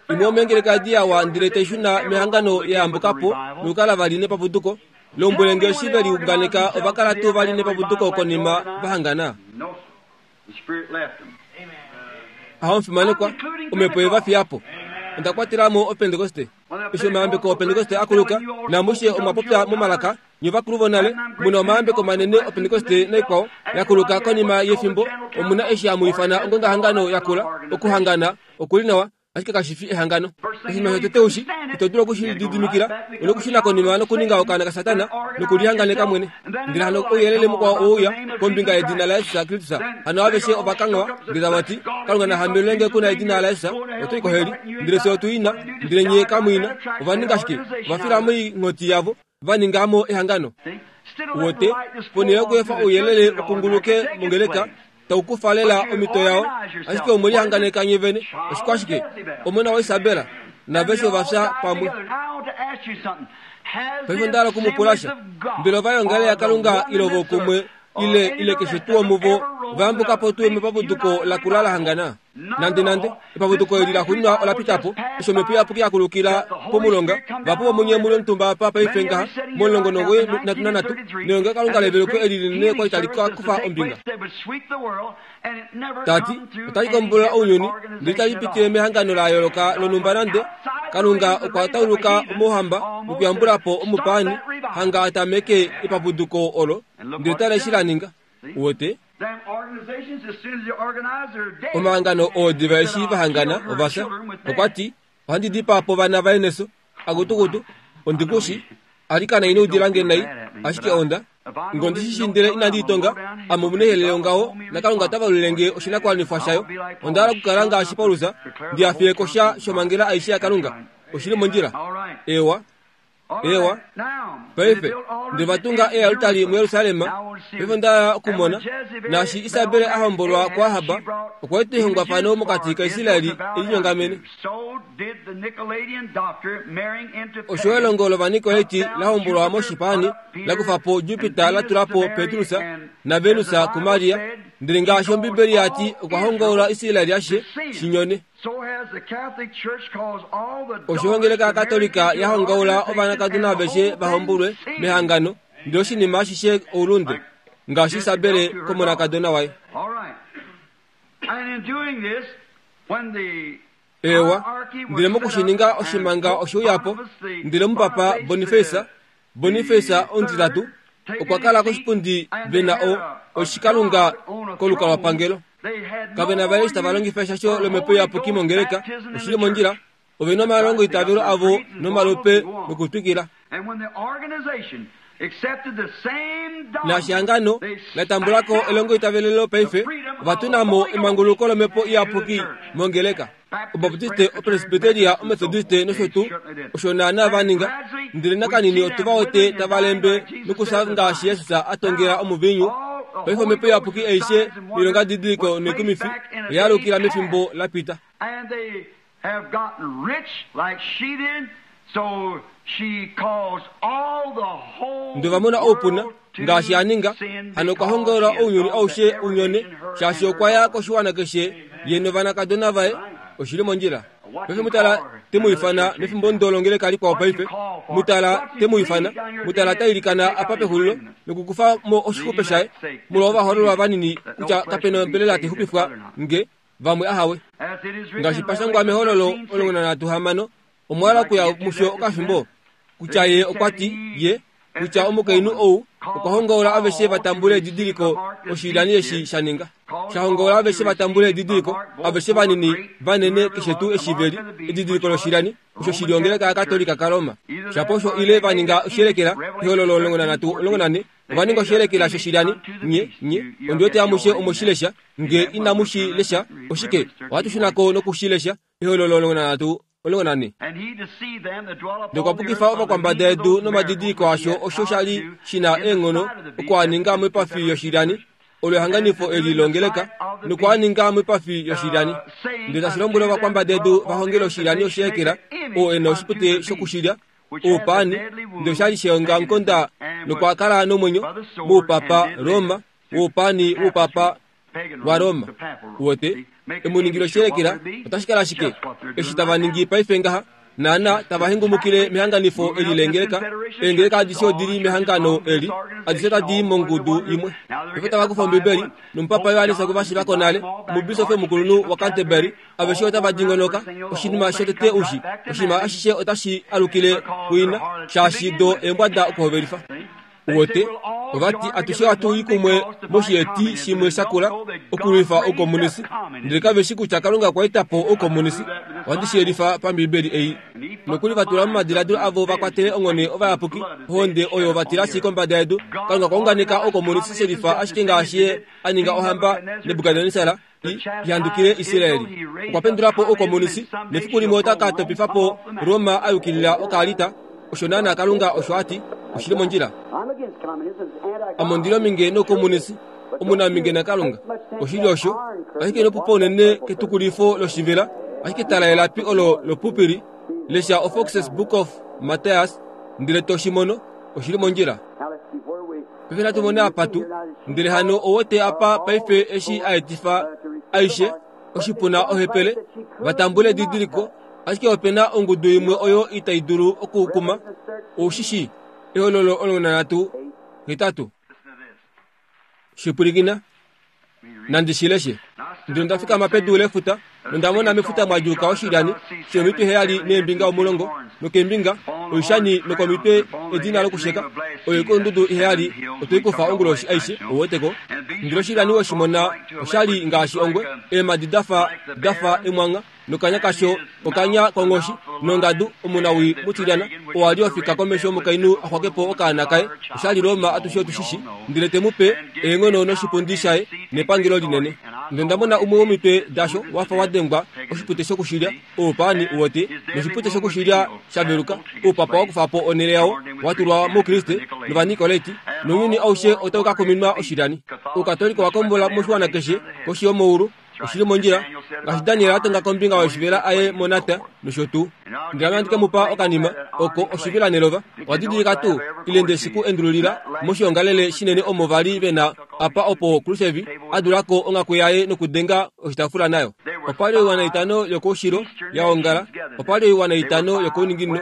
Imwe yomeengeleka edi ya wa ndele tai shuna mehangano ya yambuka po nokukala vali nepapuduko. Lombwele nge eshi ve liunganeka ova kala tuu vali nepapuduko konima va hangana? Aho omufimanekwa, omhepo ye va fiya po. Onda kwatela mo Opentekoste. Eshi omayambeko Opentekoste a kuluka, namushe omwa popya momalaka, Nye ovakulu vonale, mu na omayambeko manene Opentekoste naikwao ya kuluka konima yefimbo, omu na eshi hamu ifana ongongahangano yakula. Okuhangana oku li nawa, ashike kashi fi ehangano. Oshinima shotete ushi, ito dulu oku shi lididimikila, u na okushuna konima nokuninga okaana kaSatana nokulihanganeka mwene. Ndele hano ouyelele mukwao oweuya kombinga yedina laJesus Kristus. Hano aveshe ova kanghwa, ndele tava ti, Kalunga na hambelelwe nge ku na edina laJesus, oto i koheli. Ndele fye otu i na, ndele nye kamu i na. Ova ninga shike? Ova fila moinghoti yavo. Va ninga mo ehangano. Wote, ponhele yokuefa ouyelele u kunguluke mongeleka, tau kufa lela omhito yao, ashike omwe lihanganeka nye vene. Oshikwashike? Omona waIsabel naveshe ova fya pamwe. Paife onda hala oku mu pula sha. Mbela ovaongele yaKalunga ile vokumwe ile ile keshe tuu omuvo va yambuka po tuu mepapuduko lakula la hangana? Nande nande, epapuduko eli laxuuninwa ola pita po, eshi Omhepo Iyapuki ya kulukila pomulonga, vahapu vomunye mu li omutumba apa paife ngaha, momulongo nomuwoi nhatu nanhatu, nelongelokalunga leveluko eli linene kwa li tali ka kufa ombinga. Ta ti, Otali kombolola ounyuni, ndele itali pitile mehangano la yooloka lonhumba nande. Kalunga okwa tauluka omouhamba nokuyambula po omupaani, hanga a tameke epapuduko olo, ndele tala eshi la ninga. Uwete? Omahangano oo diva eshi va hangana ova fya. Okwa ti, Ohandi dipaa po ovana vaye neso. Akutukutu, ondi ku shi. Alikana ino udila nge nai, ashike onda. Nge ondi shi shii ndele inandi i tonga, ame omunehele yongaho, naKalunga ota valulile nge oshinakuwanifwa shayo. Onda hala okukala ngaashi Paulus, ndi hafele ko sha shomhangela aishe yaKalunga. Oshi li mondjila. Eewa. Eewa. Paife, nde va tunga ealtari muJerusalem, paife onda hala okumona, naashi Isabel a hombolwa kuAhab, okwa eta ehongwafano mokati kaIsrael e linyongamene. Osho elongo lOvanikoleti la hombolwa moshipaani, la kufa po Jupiter la tula po Petrus naVenus kuMaria, ndele ngaashi Ombibeli ya ti okwa hongaula Israel ashishe shi nyone. Osho ongeleka yaKatolika ya hongaula ovanakadona aveshe va hombulwe mehangano, ndele oshinima ashishe oulunde, ngaashi Isabele komonakadona waye. Eewa, ndele mokushininga oshimanga oshe uya po, ndele omupapa Boniface, Boniface omutitatu, okwa kala koshipundi ve na o, oshikalunga kolukalwapangelo. Kave na vali eshi tava longifa eshasho lomhepo iyapuki mongeleka, oshi li mondjila, ove na omalongoitavelo avo nomalope nokutwikila. Naashi ehangano la tambula ko elongoitavelelo paife, ova tuna mo emanguluko lomhepo iyapuki mongeleka. Obaptiste, Opresbiteria, Ometodiste nosho tuu, osho naanaa va ninga. Ndele nakanini otu va wete tava lembe nokufya ngaashi Jesus a tongela omuviinyu. Paife omhepo iyapuki aishe noilongadidiliko noikumifi oya alukila mefimbo la pita. have gotten rich like she did. Ndele ova mona oupuna, ngaashi a ninga, hano okwa hongaula ounyuni aushe u nyone, shaashi okwa ya koshiwana keshe ye novanakadona vaye. Oshi li mondjila. Paife mutala te mu ifana mefimbo ndo longeleka likwao paife. Mutala te mu ifana. Mutala ta ilikana apa pexulilo nokukufa mo oshixupe shaye molwa ovahoololwa vanini kutya kape na ombelela tai xupifwa nge vamwe ahawe. Ngaashi pa shangwa mEhololo 16, omwa hala okuya musho okafimbo? Kutya ye okwa ti, ye, kutya omukainhu ou okwa hongaula aveshe va tambule edidiliko oshilyani eshi sha ninga. Sha hongaula aveshe va tambule edidiliko, aveshe vanini, vanene, keshe tuu eshi ve li, edidiliko loshilyani, osho shi li ongeleka yaKatolika kaRoma. Shapo osho ile va ninga oshiyelekela, Ehololo 13, 14, Ova ninga oshiyelekela shoshilyani, nye, nye, ondi wete amushe omwe shi lesha. Nge inamu shi lesha, oshike, ohatu shuna ko noku shi lesha, Ehololo 13, 14. Nokwa pukifa ovakwambada yedu nomadidiliko asho osho sha li shi na eenghono oku a ninga moipafi yoshilyani, olo ehanganifo eli longeleka, noku a ninga moipafi yoshilyani. Ndele tashi lombwele ovakwambada yedu va hongele oshilyani oshiyelekela, oo e na oshipute shokushilya, oupaani, ndele osha li sheongamukonda nokwa kala nomwenyo moupapa Roma, woupaani woupapa waRoma. Uwete, emuningilo oshiyelekela otashi kala ashike eshi tava ningi paife ngaha, naana tava hengumukile mehanganifo eli leengeleka. Eengeleka adishe odi li mehangano eli, adishe otadi i mongudu imwe. Paife otava kufa Ombibeli, nomupapa Johannes okwe va shiva ko nale, omubisofi omukulunhu waCanterbury, aveshe otava dingonoka. Oshinima shotete ushi, oshinima ashishe otashi alukile kuina, shaashi do eembwada okuhovelifa. Uwete, ova ti atushe ohatu i kumwe moshieti shimwe sha kula okulwifa oukomunisi, ndele kave shi kutya Kalunga okwa eta po oukomunisi. Ohandi shi yelifa paMbiibeli ei. Nokuli va tula momadiladilo avo va kwatele onghone ovayapuki, ohonde oyo va tilashi kombada yedu. Kalunga okwa unganeka oukomunisi shelifa ashike ngaashi Ye a ninga ohamba Nebukadnesar i handukile Israeli. Okwa pendula po oukomunisi, nefiku limwe ota ka topifa po Roma a yukilila okaalita. Osho naanaa Kalunga osho a ti. Oshi li mondjila. Ame ondi li ominge noukomunisi, omunaminge naKalunga. Oshili osho. Ashike ino pupa unene ketukulifo loshivela, ashike tala elapi olo lopupili, lesha oFox's Book of Matthias, ndele to shi mono. Oshi li mondjila. Paife natu mone apa tu. Ndele hano owote apa paife eshi a etifa aishe, oshipuna ohepele, va tambule edidiliko, ashike ope na ongudu imwe oyo itai dulu okukuma. Ou shi shii? Ehololo 13, 8. Shipwilikina. Nandi shi leshe. Ndele onda fikama pedu lefuta, nonda mona mefuta mwa djuuka oshilyani shomitwe heyali neembinga omulongo, nokeembinga oishani nokomitwe edina lokusheka. Oyo ikulundudu iheyali otwe i kufa onguloshi aishe, ou wete ko. Ndele oshilyani we shi mona osha li ngaashi ongwe, eemhadi da fa da fa emwangha, nokanya kasho okanya konghoshi, nongadu, omunawii mutilyana, oo a li ofika komesho yomukainhu a xwake po okaana kaye, osha li Roma atushe otu shi shi, ndele te mu pe eenghono noshipundi shaye nepangelo linene. Ndele onda mona umwe womitwe dasho wa fa wa dengwa oshipute shokushilya, oupaani u wete, noshipute shokushilya sha veluka, oupapa wa kufa po onhele yao, wa tulwa moukriste nOvanikoleti, nounyuni aushe otau ka kuminwa oshilyani. Oukatoolika owa kombola moshiwana keshe koshi yomaulu, Oshi li mondjila, ngaashi Daniel a tonga kombinga yoshivela aye monata nosho tuu. Ndele ame ohandi ke mu pa okanima oko oshivela nelova. Owa didilika tuu, ile nde shi ku endululila moshiongalele shinene omo va li ve na apa opo Khrushchev a dula ko onghaku yaye nokudenga oshitaafula nayo? Opa li oiwana itano yokoushilo ya ongala, opa li oiwana itano yokouninginino.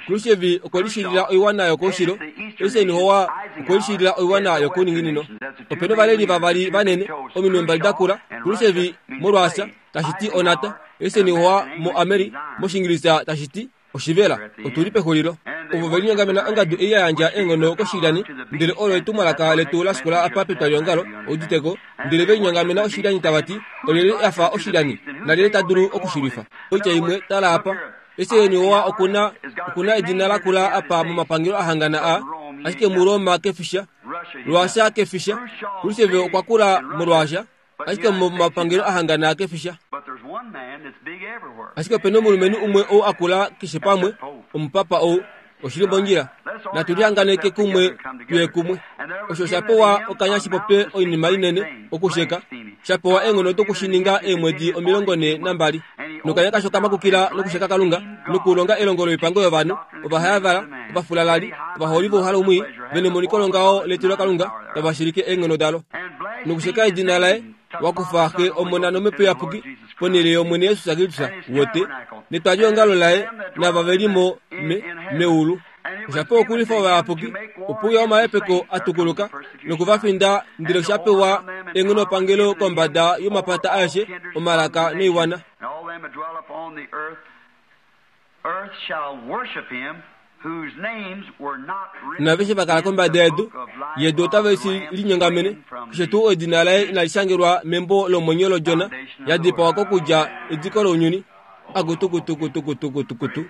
Khrushchev okwe lishilila oiwana yokoushilo, Eisenhower okwe lishilila oiwana yokouninginino. Ope na ovaleli vavali vanene, ominwe mbali da kula, Khrushchev moRuasia, tashi ti onata, Eisenhower moAmeri, mOshiingilisa tashi ti oshivela. Otu li pexulilo. Ovo ve linyongamena ongadu ei ya yandja eenghono koshilyani, ndele olo etumwalaka letu la shikula apa petwaliongalo, udite ko, ndele ve linyongamena oshilyani tava ti, Olyelye a fa oshilyani, nalyelye ta dulu oku shi lwifa? Oitya imwe, tala apa. Eisenhower oku na, oku na edina lakula apa momapangelo a hangana a, ashike muRoma ke fi sha. Ruasia ke fi sha. Khrushchev okwa kula moRuasia, ashike momapangelo a hangana ke fi sha. Ashike ope na omulumenhu umwe ou a kula keshe pamwe, omupapa ou. Oshi li mondjila. Natu lihanganeke kumwe tuye kumwe. Osho osha pewa okanya shi popye oinima inene, okusheka, sha pewa eenghono doku shi ninga eemwedi 42. Nokanya kasho ka makukila nokusheka Kalunga, nokulonga elongo loipango yovanhu, ovahayavala, ovafulalali, ovaholi vouhalo mwii, ve nemoniko longaho letilo Kalunga, tava shilike eenghono dalo. Nokusheka edina laye, wa kufa Xe, Omona nOmhepo Iyapuki ponhele yOmwene Jesus Kristus wote, netwaliongalo laye nava ve li mo me, meulu. Osha pewa okulwifa ovayapuki, opo uya omahepeko a tukuluka noku va finda, ndele osha pewa eenghonopangelo kombada yomapata aeshe, omalaka noiwana. Naaveshe va kala kombada yedu, yedu otave shi linyongamene, keshe tuu edina laye inali shangelwa membo lomwenyo lOdjona ya dipawa kokudja ediko lounyuni. Akutukutukutukutukutu.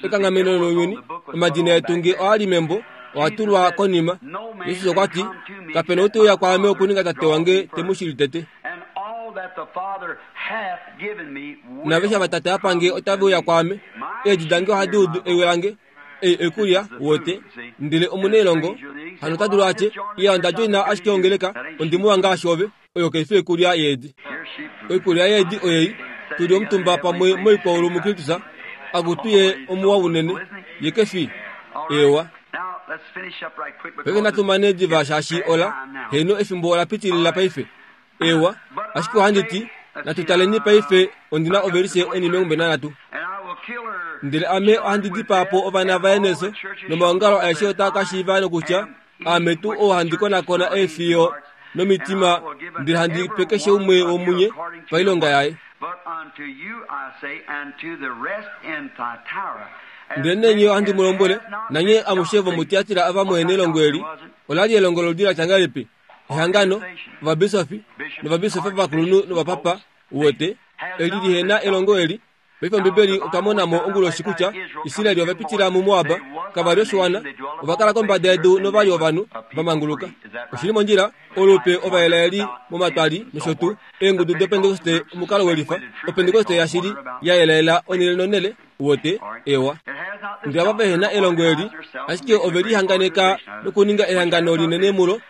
Ekanghameno lounyuni, omadina etu nge oa li membo, oa tulwa konima. Jesus okwa ti, Kape na ou te uya kwaame okuninga Tate wange te mu shili tete. Naaveshe ava Tate a pa nge otave uya kwaame. Eedi dange ohadi udu ewi lange, ei oikulya, wote. Ndele omunailongo hano ota dulu a tye, Iya, onda djoina ashike ongeleka, ondi muwa ngaashi ove. Oyo kai fi oikulya yeedi. Oikulya yeedi oyei, tu li omutumba pamwe moikwaulu muKristus, akutu ye omuwa unene, ye ke fi? Eewa. Paife natu mane diva shaashi ola, heeno efimbo ola pitilila paife. Eewa, ashike ohandi ti, natu taleni paife, ondi na ovelise onimengumbe nanhatu. Ndele ame ohandi dipaa po ovana vaye nefyo, nomaongalo aeshe otaa ka shiiva nokutya, Aame tuu ou handi konakona eefiyo nomitima, ndele handi pe keshe umwe womunye pailonga yaye. Ndelenee nye ohandi mu lombwele, nanye amushe vomuTiatira ava muhe nelongo eli, ola li elongo loludi la tya ngahelipi? Ehangano, ovabisofi, novabisofi ovakulunhu novapapa, uwete, eli lihe na elongo eli, Paife Ombibeli otwa mona mo onguloshi kutya Israel ova pitila muMoab, kava li oshiwana, ova kala kombada yedu nova li ovanhu va manguluka. Oshi li mondjila, olupe Ovaelaeli momatwali nosho tuu, eengudu dOpentekoste omukalo welifa, Opentekoste yashili ya yelaela onhele nonhele, uwete, ewa. Ndele ava vehe na elongo eli, ashike ove lihanganeka nokuninga ehangano linene mulo,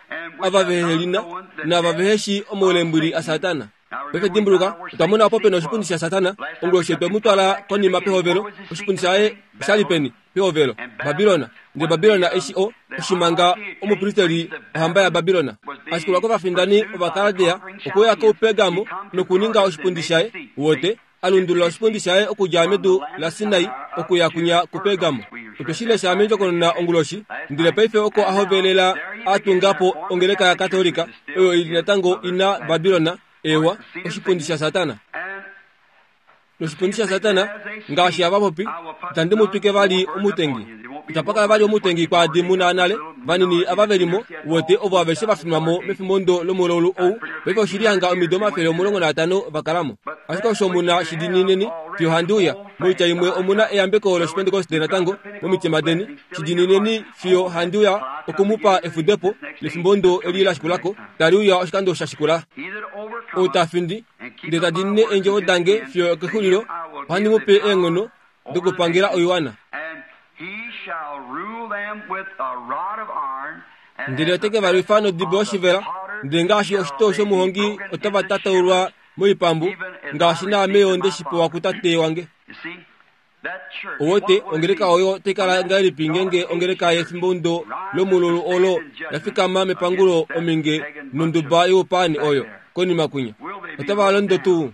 ava vehe li na, naava vehe shii omaulembwili aSatana. Paife dimbuluka, otwa mona opo pena oshipundi shaSatana. Onguloshi otwe mu twala konima pehovelo. Oshipundi shaye osha li peni? Pehovelo. Babilona. Ndele Babilona eshi o, oshimanga omupristeli ohamba yaBabilona, a shikulwa kovafindani Ovakaldea, okwe uya kuPergamo nokuninga oshipundi shaye. Uwete? A lundulula oshipundi shaye okudja medu laSinai okuya kwinya kuPergamo. Otwe shi lesha mendjokonona onguloshi. Ndele paife oko a hovelela a tunga po ongeleka yaKatolika, oyo i li natango i na Babilona, eewa, oshipundi shaSatana. Noshipundi shaSatana, ngaashi hava popi, itandi mu twike vali omutengi. Itapa kala vali omutengi kwaadi mu na nale, vanini ava ve li mo, uwete, ovo aveshe va finwa mo mefimbo lomulaulu ou. Paife oshi li hanga omido 150 va kala mo. Ashike osho mu na shi diinineni fiyo handi uya. Moitya imwe omu na eyambeko lOshipentekoste natango momitima deni. Shi diinineni fiyo handi uya oku mu pa efudepo lefimbo ndo eli la shikula ko, tali uya oshikando sha shikula. Ou ta findi, ndele ta diinine eendjovo dange fiyo okexulilo, ohandi mu pe eenghono dokupangela oiwana. Ndele ote ke va lwifa nodibo yoshivela, ndele ngaashi oshitoo shomuhongi otava tataulwa moipambu, ngaashi naame yo nde shi pewa kuTate wange. Owote, ongeleka oyo otai kala ngahelipi ngeenge ongeleka yefimbo lomululu olo ya fikama mepangulo ominge nonduba youpaani oyo konima kwinya? Otava londo tuu?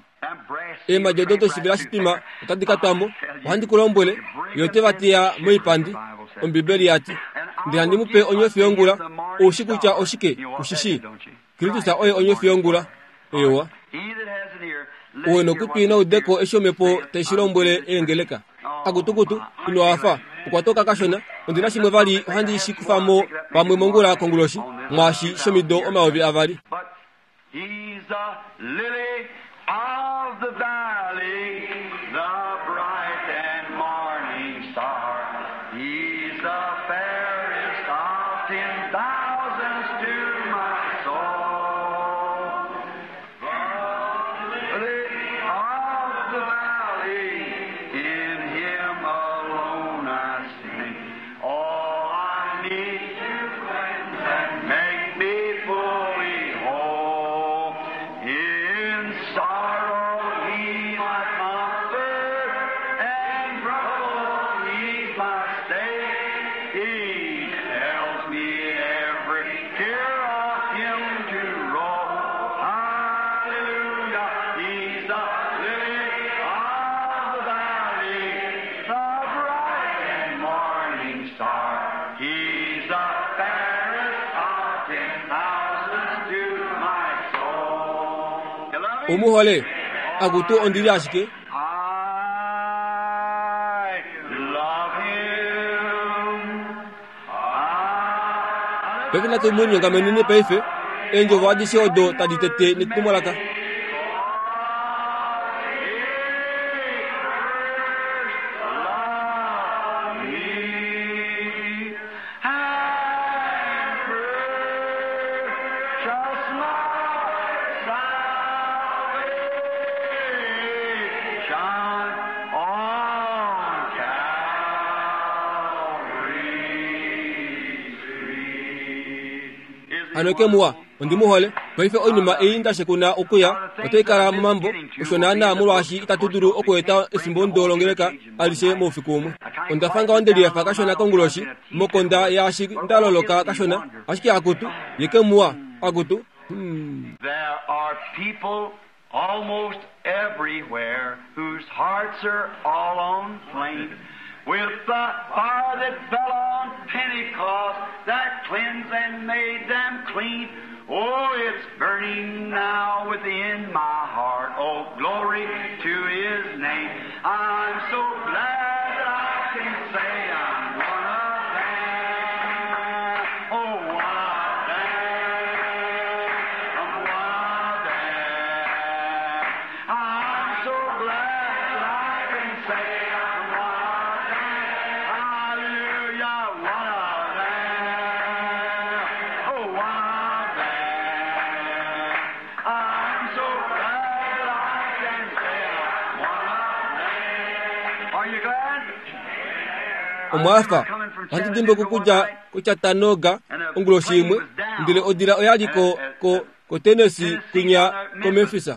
Eemhadi odo doshivela shitwima otadi ka twa mo. Ohandi ku lombwele, ye ote va teya moipandi, Ombibeli ya ti. Ndele handi mu pe onyofi yongula. Ou shi kutya oshike, u shi shii? Kristus oye onyofi yongula. Eewa. Ou e nokutwi na ude ko eshi Omhepo tai shi lombwele eengeleka. Akutukutu, ino hafa. Okwa toka kashona. Ondi na shimwe vali ohandi shi kufa mo pamwe mongula konguloshi, mwaashi shomido 2000. He's the lily of the valley, the bright and morning star. He's the fairest of 10,000s to my soul. The lily of the valley, in him alone I see all I need to cleanse and make me fully whole. In sorrow Omu hole? Akutu, ondi li ashike. Paife natu mu linyongameneni paife, eendjovo adishe odo tadi tete netumwalaka. Hano ke muwa, ondi mu hole. Paife oinima ei nda shekuna okuya otai kala momambo, osho naanaa molwaashi itatu dulu okueta efimbo ndo longeleka alishe moufiku umwe. Onda fa ngaho nde lihafa kashona konguloshi, mokonda yaashi nda loloka kashona, ashike akutu, ye ke muwa, akutu. Hmm. There are people almost everywhere whose hearts are all on flame with the fire that fell on Pentecost that cleansed and made them clean. Oh, it's burning now within my heart. Oh, glory to His name. I'm so glad that I can say I'm one of them. Oh, one of them. I'm one of them. I'm so glad that I can say I'm one of them. Hallelujah, one of them. Oh, one of them. I'm so glad that I can say I'm one of them. Are you glad? Omwa hafa? Ohandi dimbuka okudja koChattanooga onguloshi imwe, ndele odila oya li ko, ko, koTennessee kwinya koMemphis.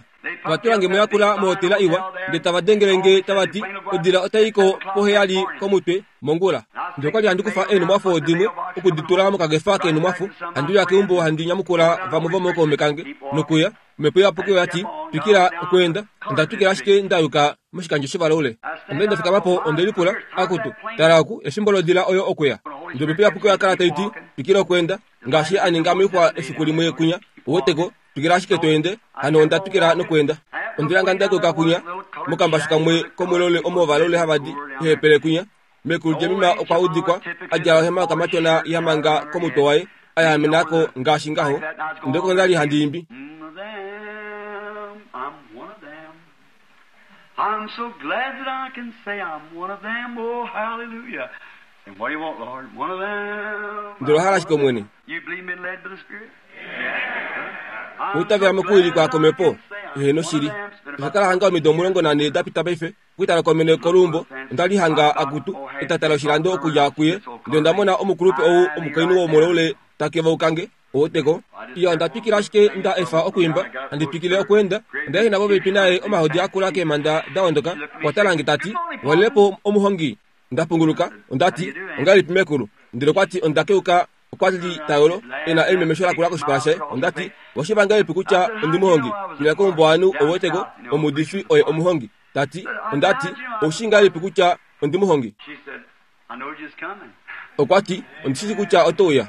Ova tula nge moyakula mohotela iwa, ndele tava dengele nge tava ti, Odila otai i ko poheyali komutwe mongula. Ndele okwa li handi kufa eenhumwafo dimwe oku di tula mokakefa keenhumwafo, handi uya keumbo handi nyamukula vamwe vomookaume kange, nokuya. Omhepo Iyapuki oya ti, Twikila okweenda. Onda twikila ashike nda yuka moshikandjo shevalaule. Onda li nda fikama po, onde lipula, Akutu, tala oku, efimbo lodila oyo okuya. Ndele Omhepo Iyapuki oya kala tai ti, Twikila okweenda, ngaashi a ninga moixwa efiku limwe kwinya. Uweteko, twikila ashike to ende. Hano onda twikila nokweenda. Onde lihanga nda yuka kwinya, mokambashu kamwe komulaule omo ovalaule hava di, ehepele kwinya. Mekulu Jemima okwa udikwa a djala ohema yokamatyona ya manga komutwe waye, a yaamena ko ngaashi ngaho. Ndele oko nda li handi imbi. Ndele owa hala shike, Omwene? Owa itavela mokuwilikwa kOmhepo? Heeno shili. Osha kala hanga omido 14 da pita paife. Okutala kwamene koluumbo, onda li hanga akutu etata loshilando okudja kuye, ndele onda mona omukulupe ou omukainhu womulaule ta kevauka nge. Ouweteko? Iya, onda twikila ashike nda efa okwiimba, handi twikile okweenda. Onda ehena popepi naye, omahodi a kula keemhanda da ondoka. Okwa tala nge ta ti, Walile po omuhongi? Onda punguluka, onda ti, Ongahelipi mekulu? Ndele okwa ti, Onda keuka Okwa li ta yolo, e na elimemesho lakula koshipala shaye. Onda ti, Oshiva ngahelipi kutya ondi muhongi? Twila keumbo ovanhu ou wete ko, omuudifi oye omuhongi. Ta ti, Onda ti, Ou shii ngahelipi kutya ondi muhongi? Okwa ti, Ondi shi shii kutya oto uya.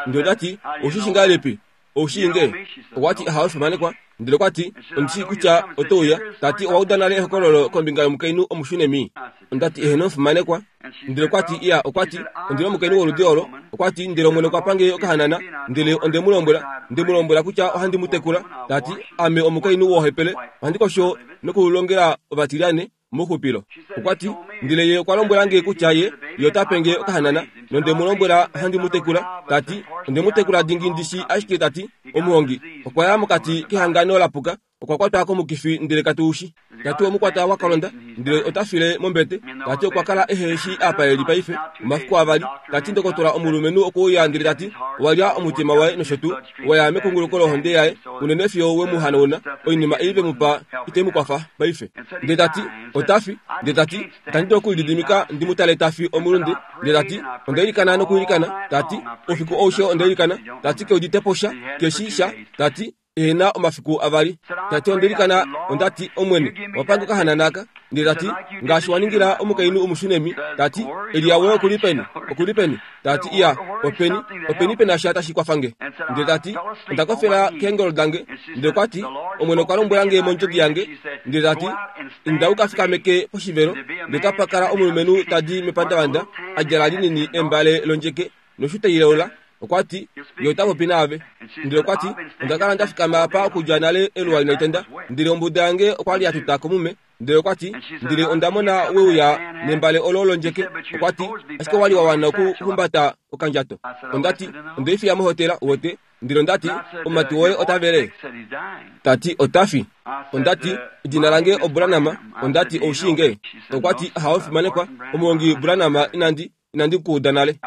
Ndele onda ti, Ou shi shii ngahelipi? Ou shii nge? Okwa ti, Ahawe fimanekwa. Ndele okwa ti, Ondi shii kutya oto uya. Ta ti, Owa uda nale ehokololo kombinga yomukainhu Omushunemi? Onda ti, Eheno, fimanekwa. Ndele okwa ti, Iya, okwa ti, ondi na omukainhu woludi olo. Okwa ti, Ndele Omwene okwa pa nge okahanana, ndele onde mu lombwela, nde mu lombwela kutya ohandi mu tekula. Ta ti, Ame omukainhu wohepele, ohandi kosho nokulongela ovatilyane mouxupilo. Okwa ti, Ndele ye okwa lombwela nge kutya ye, ye ota pe nge okahanana, nonde mu lombwela ohandi mu tekula. Ta ti, Onde mu tekula dingi ndi shi ashike ta ti, omuhongi okwa ya mokati kehangano la puka, okwa kwatwa komukifi ndele katu shi. Ta ti omukwata wa kalonda ndele ota file mombete. Ta ti okwa kala ehe shi apa e li paife omafiku avali. Ta ti ndokotola omulumenhu okwe uya ndele ta ti owa lya omutima waye nosho tuu, wa ya mekunguluko lohonde yaye unene fiyo we mu hanauna. Oinima ei ve mu pa itai mu kwafa paife. Ndele ta ti ota fi. Ndele ta ti itandi dulu okulididimika ndi mu tale ta fi omulunde. Ndele ta ti onda ilikana nokuilikana. Ta ti oufiku aushe onda ilikana. Ta ti ke udite po sha, ke shii sha. Ta ti. Ehena omafiku avali. Ta ti, Onda ilikana, onda ti, Omwene, owa pa nge okahanana aka. Ndele ta ti, Ngaashi wa ningila omukainhu Omushunemi, ta ti, Elia woye oku li peni? Oku li peni? Ta ti, Iya, openi, openi pe na sha tashi kwafa nge? Ndele ta ti, Onda kofela keengolo dange. Ndele okwa ti, Omwene okwa lombwela nge mondjodi yange, ndele ta ti, Inda u ka fikameke poshivelo, ndele otapa kala omulumenhu ta di mepandavanda, a djala linini embale londjeke noshuta ileula. Okwa ti, Ye ota popi naave. Ndele okwa ti, Onda kala nda fikama apa okudja nale eluwa inali tenda, ndele ombuda yange okwa li ya tuta komume. Ndele okwa ti, Ndele onda mona we uya nembale olo londjeke. Okwa ti, Ashike owa li wa wana okuhumbata okandjato. Onda ti, Onde i fiya mohotela, uwete. Ndele onda ti, Omumati woye ota vele? Ta ti, Ota fi. Onda ti, Edina lange oBranham. Onda ti, Ou shii nge? Okwa ti, Ahawe, fimanekwa, omuhongi Branham, inandi, inandi ku uda nale.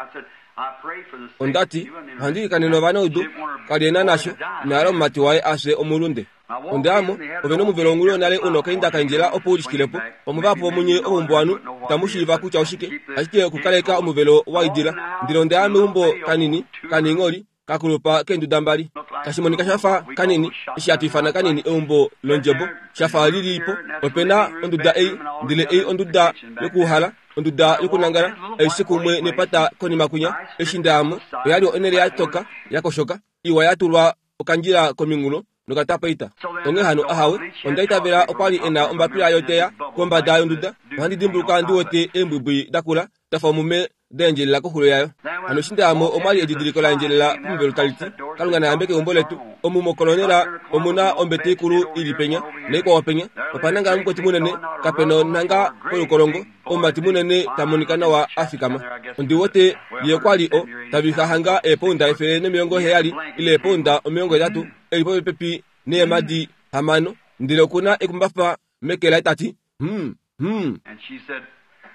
Onda ti, Ohandi ilikanene ovanaudu. Ka li e na nasho, ina hala omumati waye a fye omulunde. Onda ya mo, ove nomuvelo wongulu yonale u nokainda kaindjela opo u lishikile po. Pamwe vahapu vomunye ovahombowanhu itamu shiiva kutya oshike, ashike okukaleka omuvelo wa idila. Ndele onda ya meumbo kanini, kaniingholi, ka kulupa keenduda mbali, tashi monika sha fa kanini, eshi hatu ifana kanini eumbo londjebo, sha fa li li po. Ope na onduda ei, ndele ei onduda yokuuhala, onduda yokunangala, aishe kumwe nepata konima kwinya. Eshi nda ya mo, oya li onhele ya toka, ya koshoka, iwa ya tulwa okandjila kominghulo nokatapeita. Onghee hano, ahawe, onda itavela okwa li e na ombapila yoteya kombada yonduda. Ohandi dimbuluka ndi wete eembwibwi da kula da fa omume da endjelela koxulo yayo. Hano eshi nda ya mo omwa li edidiliko la endjelela pomuvelo tali ti, Kalunga na yambeke eumbo letu. Omu mokolonela omu na ombete ikulu i li penya, naikwao penya. Opa nangala omukwetu munene, kape na onhanga polukolongo, omumati munene ta monika nawa a fikama. Ondi wete ye okwa li o ta vixa hanga eepounda 170 ile eepounda 80, e li popepi neemhadi hamano, ndele oku na ekumbafa meke laye ta ti, Hum, hum.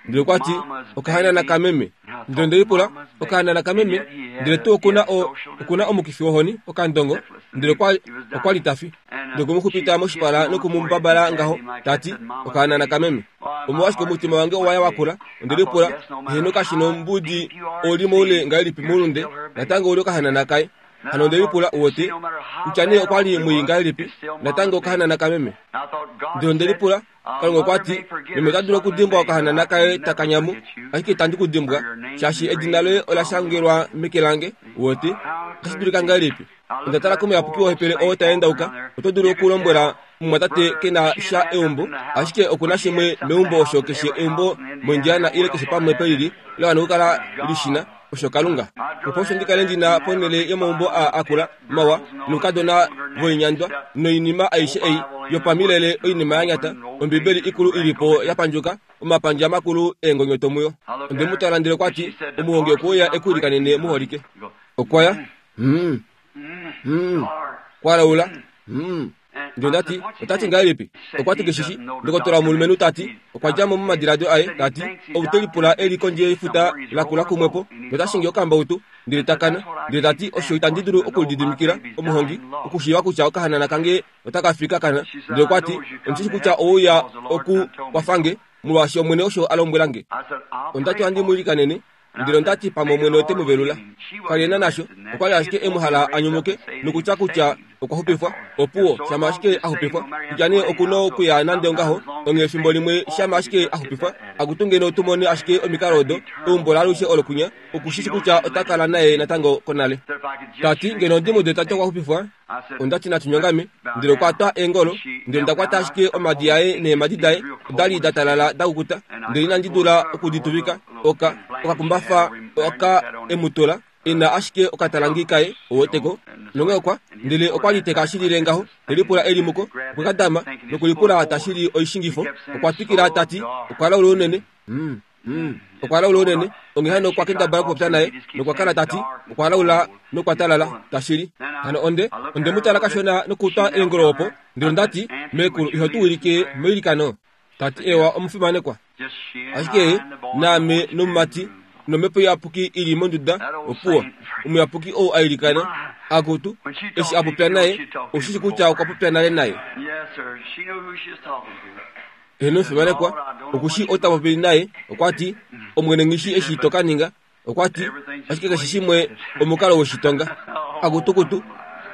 Ndele okwa ti, Okahanana kameme. Ndele onde lipula, Okahanana kameme? Ndele tuu oku na o, oku na omukifi wohoni, okandongo. Ndele okwa, okwa li ta fi. Nokwe mu xupita moshipala noku mu mbabala ngaho, ta ti, Okahanana kameme. Omolwashike omutima wange owa ya wa kula? Onde lipula, Heeno kashi nombudi ou li moule ngahelipi moulunde, natango ou li okahanana kaye. Hano onde lipula, Uwete, kutya nee okwa li mwii ngahelipi, natango okahanana kameme. Ndele onde lipula, Kalunga okwa ti, Meme ota dulu okudimbwa okahanana kaye taka nyamu, ashike itandi ku dimbwa, shaashi edina loye ola shangelwa meke lange. Uwete, otashi dulika ngahelipi? Onda tala komuyapuki wohepele oo ta endauka. Oto dulu okulombwela omumwatate ke na sha eumbo, ashike oku na shimwe meumbo osho keshe eumbo moIndiana ile keshe pamwe pelili la wana okukala li shi na, osho Kalunga. Opo osho ndi kale ndi na ponhele yomaumbo aa akula, mawa, noukadona voinyandwa, noinima aishe ei yopamilele oinima ya nyata, Ombibeli ikulu i li po ya pandjuka, omapandja makulu eengonyoto muyo. Onde mu tala ndele okwa ti, Omuhongi okwe uya e ku ilikanene muholike. Okwa ya. Hmm. Hmm. Kwa laula. Hmm. Ndele onda ti, Ota ti ngahelipi? Okwa ti keshishi. Ndokotola womulumenhu ta ti, okwa dja mo momadiladio aye, ta ti, Ou te lipula e li kondje yefuta lakula kumwepo, nota shingi okambautu, ndele ta kana. Ndele ta ti, Osho itandi dulu okulididimikila, omuhongi, okushiiva kutya okahanana kange otaka fi ka kana. Ndele okwa ti, Ondi shi kutya owe uya oku kwafa nge, molwaashi Omwene osho a lombwela nge. Onda ti ohandi mu ilikanene. Ndele onda ti, Pamwe Omwene ote mu velula. Ka li e na nasho. Okwa li ashike e mu hala a nyumuke, nokutya kutya okwa xupifwa. Opuwo, shama ashike a xupifwa. Kutya nee oku na okuya nande ongaho, onghee efimbo limwe shama ashike a xupifwa, akutu ngeno tu mone ashike omikalo odo, eumbo laalushe olo kwinya, oku shi shi kutya ota kala naye natango konale. Ta ti, ngeno ondi mu ude ta ti okwa xupifwa, Onda ti natu nyongame, ndele okwa twa eengolo, ndele onda kwata ashike omadi aye neemhadi daye oda li da talala da kukuta, ndele inandi dula oku di tuvika. Oka, okakumbafa oka e mu tula, e na ashike okatalangi kaye, ou weteko. Nonghee okwa, ndele okwa li te ka shilile ngaho, te lipula e li muko, okwe ka dama, nokulipula ta shili oishingifo. Okwa twikila ta ti, Okwa laula unene. Hmm. Hmm. Okwa laula unene, onghee hano okwa kendabala okupopya naye, nokwa kala ta ti, Okwa laula nokwa talala, tashili. Hano onde, onde mu tala kashona nokutwa eengolo opo, ndele onda ti, Meekulu, iho tu wilike meilikano? Ta ti, Ewa, omufimanekwa. Ashike naame nomumati nomhepo iyapuki i li monduda, opuwo. Omuyapuki ou a ilikana, akutu, eshi a popya naye, ou shi shi kutya okwa popya nale naye. Heeno fimanekwa, oku shii ota popi naye. Okwa ti, Omwene nghi shii eshi to ka ninga. Okwa ti, Ashike keshe shimwe omukalo woshitonga. Akutukutu!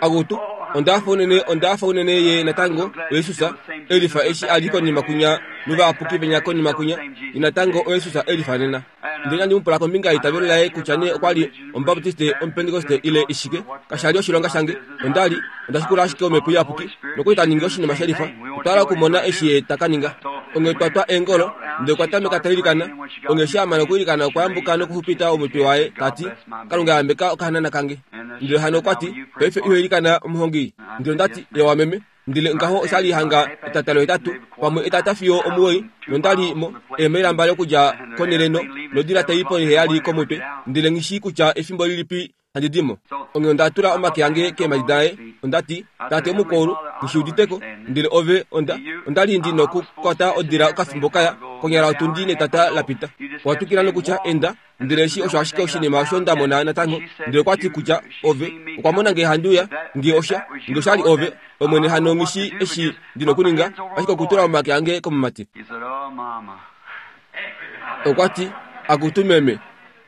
Akutu! Onda hafa unene, onda hafa unene ye natango oJesus e lifa eshi a li konima kwinya novayapuki venya konima kwinya, ye natango oJesus e lifa nena. Ndele inandi mu pula kombinga yeitavelo laye kutya nee okwa li Omubaputisite, Omupentekoste ile ishike. Kasha li oshilonga shange. Onda li onda shikula ashike Omhepo Iyapuki nokuli ta ningi oshinima she lifa. Otwa hala okumona eshi ye ta ka ninga. Onghee twa twa eengolo, ndele okwa tameka ta ilikana. Onghee eshi a mana okwiilikana okwa yambuka nokuxupita omutwe waye, ta ti, Kalunga yambeka okahanana kange. Ndele hano okwa ti, Paife iho ilikana, omuhongi? Ndele onda ti, Eewa, meme. Ndele ngaho osha li hanga etata lohetatu, pamwe etata fiyo omuwoi, nonda li mo eemaila mbali okudja konhele no, nodila tai ponheheyali komutwe, ndele nghi shii kutya efimbo lilipi handi di mo. Onghee onda tula omake ange keemhadi daye, onda ti, Tate Omukoulu, nghi shi udite ko, ndele ove, onda, onda li ndi nokukwata odila okafimbo kaya, konyala otundi netata la pita. Owa twikila nokutya, Enda, Ndele eshi osho ashike oshinima osho nda mona natango. Ndele okwa ti kutya ove okwa mona nge handi uya, nge osha, nge osha li ove, Omwene hano nghi shii eshi ndi nokuninga, ashike okutula omake ange komumati. Okwa ti, Akutu meme,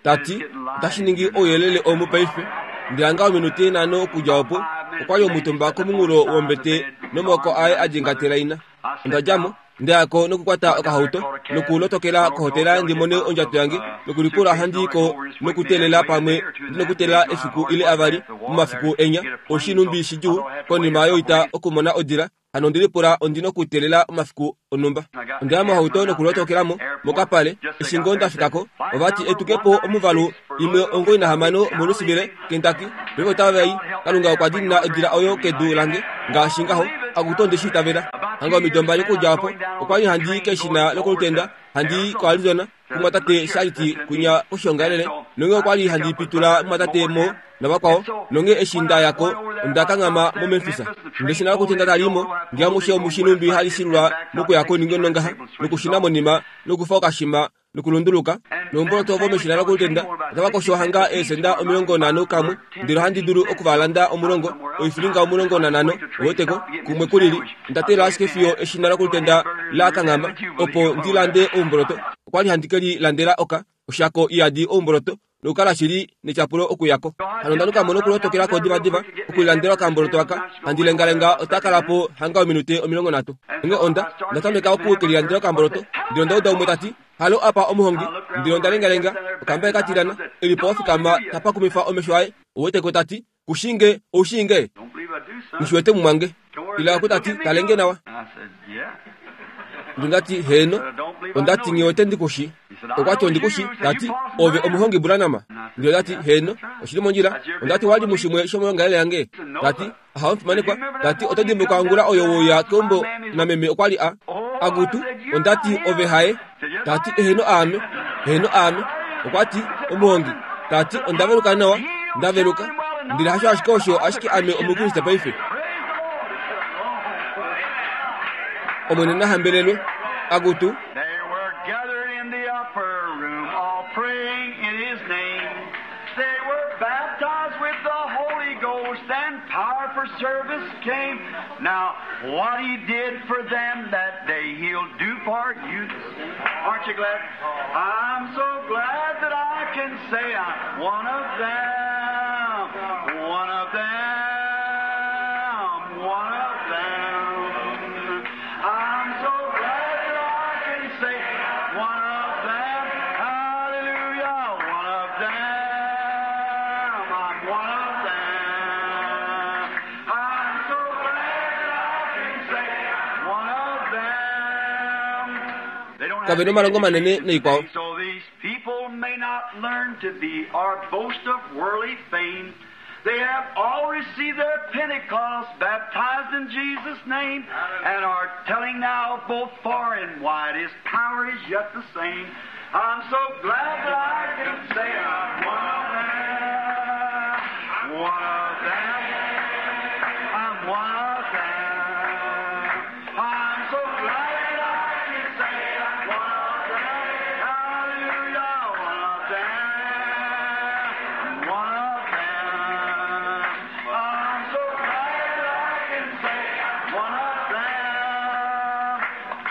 ta ti, otashi ningi ouyelele omu paife. Ndele hanga ominute nhano okudja opo, okwa li omutumba komunghulo wombete nomaoko aye a djengatela ina. Onda dja mo, nda ya ko nokukwata okahauto nokulotokela kohotela ndi mone ondjato yange nokulipula handi i ko nokuteelela pamwe ndi nokuteelela efiku ile avali momafiku enya oshinumbi shidjuu konima yoita okumona odila hano ondi lipula ondi nokuteelela omafiku onhumba. Onda ya mohauto nokulotokela mo mokapale. Eshi ngoo nda fika ko, ova ti etuke po omuvalu imwe 96 moLouisville, Kentucky. Paife otava i. Kalunga okwa diinina odila oyo kedu lange, ngaashi ngaho. Akutu onde shi itavela. Hanga omido mbali okudja opo, okwa li handi i keshina lokolutenda, handi i koArizona, kumwatate Sharity kwinya koshoongalele, nonghee okwa li handi pitula mumwatate Moore navakwao, nonghee eshi nda ya ko, onda kanghama moMemphis. Ndeshina lokutenda tali i mo, nge amushe omu shi nhumbi hali shilula mokuya koningo nongaha, nokushuna monima, nokufa okashima, nokulunduluka, noumboloto vomeshina lokulutenda otava kosho hanga eesenda 50 kamwe, ndele ohandi dulu oku va landa 10, oifilinga 15, uweteko, kumwe kulili. Onda teelela ashike fiyo eshina lokulutenda la kanghama, opo ndi lande oumboloto. Okwa li handi ke li landela oka, oshako iyadi oumboloto, nokukala shili netyapulo okuya ko. Hano onda nuka mo nokulotokela ko divadiva okulilandela okamboloto aka, handi lengalenga ota kala po hanga ominute 30. Onghee onda, onda tameka oku ke lilandela okamboloto, ndele onda uda umwe ta ti, Halo apa omuhongi! Ndele onda lengalenga, okamba ka tilyana, e li po wa fikama ta pakumifa omesho aye, ou wete ko ta ti, Ku shii nge, ou shii nge? Nghi shi wete mumwange. Ila oku ta ti, Tale nge nawa. Ndele onda ti, Heeno. Onda ti, Nghi wete ndi ku shii. Okwa ti, Ondi ku shii. Ta ti, Ove omuhongi Branham? Ndele onda ti, Heeno, oshi li mondjila. Onda ti, Owa li mushimwe shomoyoongalele yange? Ta ti, Ahawe omufimanekwa. Ta ti, Oto dimbuluka ongula oyo we uya keumbo nameme okwa li a. Akutu, onda ti, ove haye? Ta ti, Eheno aame. Eheno aame. Okwa ti, Omuhongi. Ta ti, Onda veluka nawa. Nda veluka. Ndele hasho ashike osho, ashike ame Omukriste paife. Omwene na hambelelwe. Akutu. They were gathered in the upper room, all praying in his name. They were baptized with the Holy Ghost, and power for service came. Now, what he did for them that day, he'll do for you. Aren't you glad? I'm so glad that I can say I'm one of them. One of them. One of them. I'm so glad that I can say one of them. Hallelujah. One of them. I'm one of them. I'm so glad that I can say one of them. They don't have Kave to be nomalongo manene educated noikwao. today, so these people may not learn to be or boast of worldly fame. They have all received their Pentecost, baptized in Jesus' name, and are telling now both far and wide His power is yet the same. I'm so glad that I can say I'm one of them. One of them. I'm one of them. I'm so glad that I can say I'm one of them. Hallelujah, one of them. One of them. I'm so glad that I can say I'm one of them.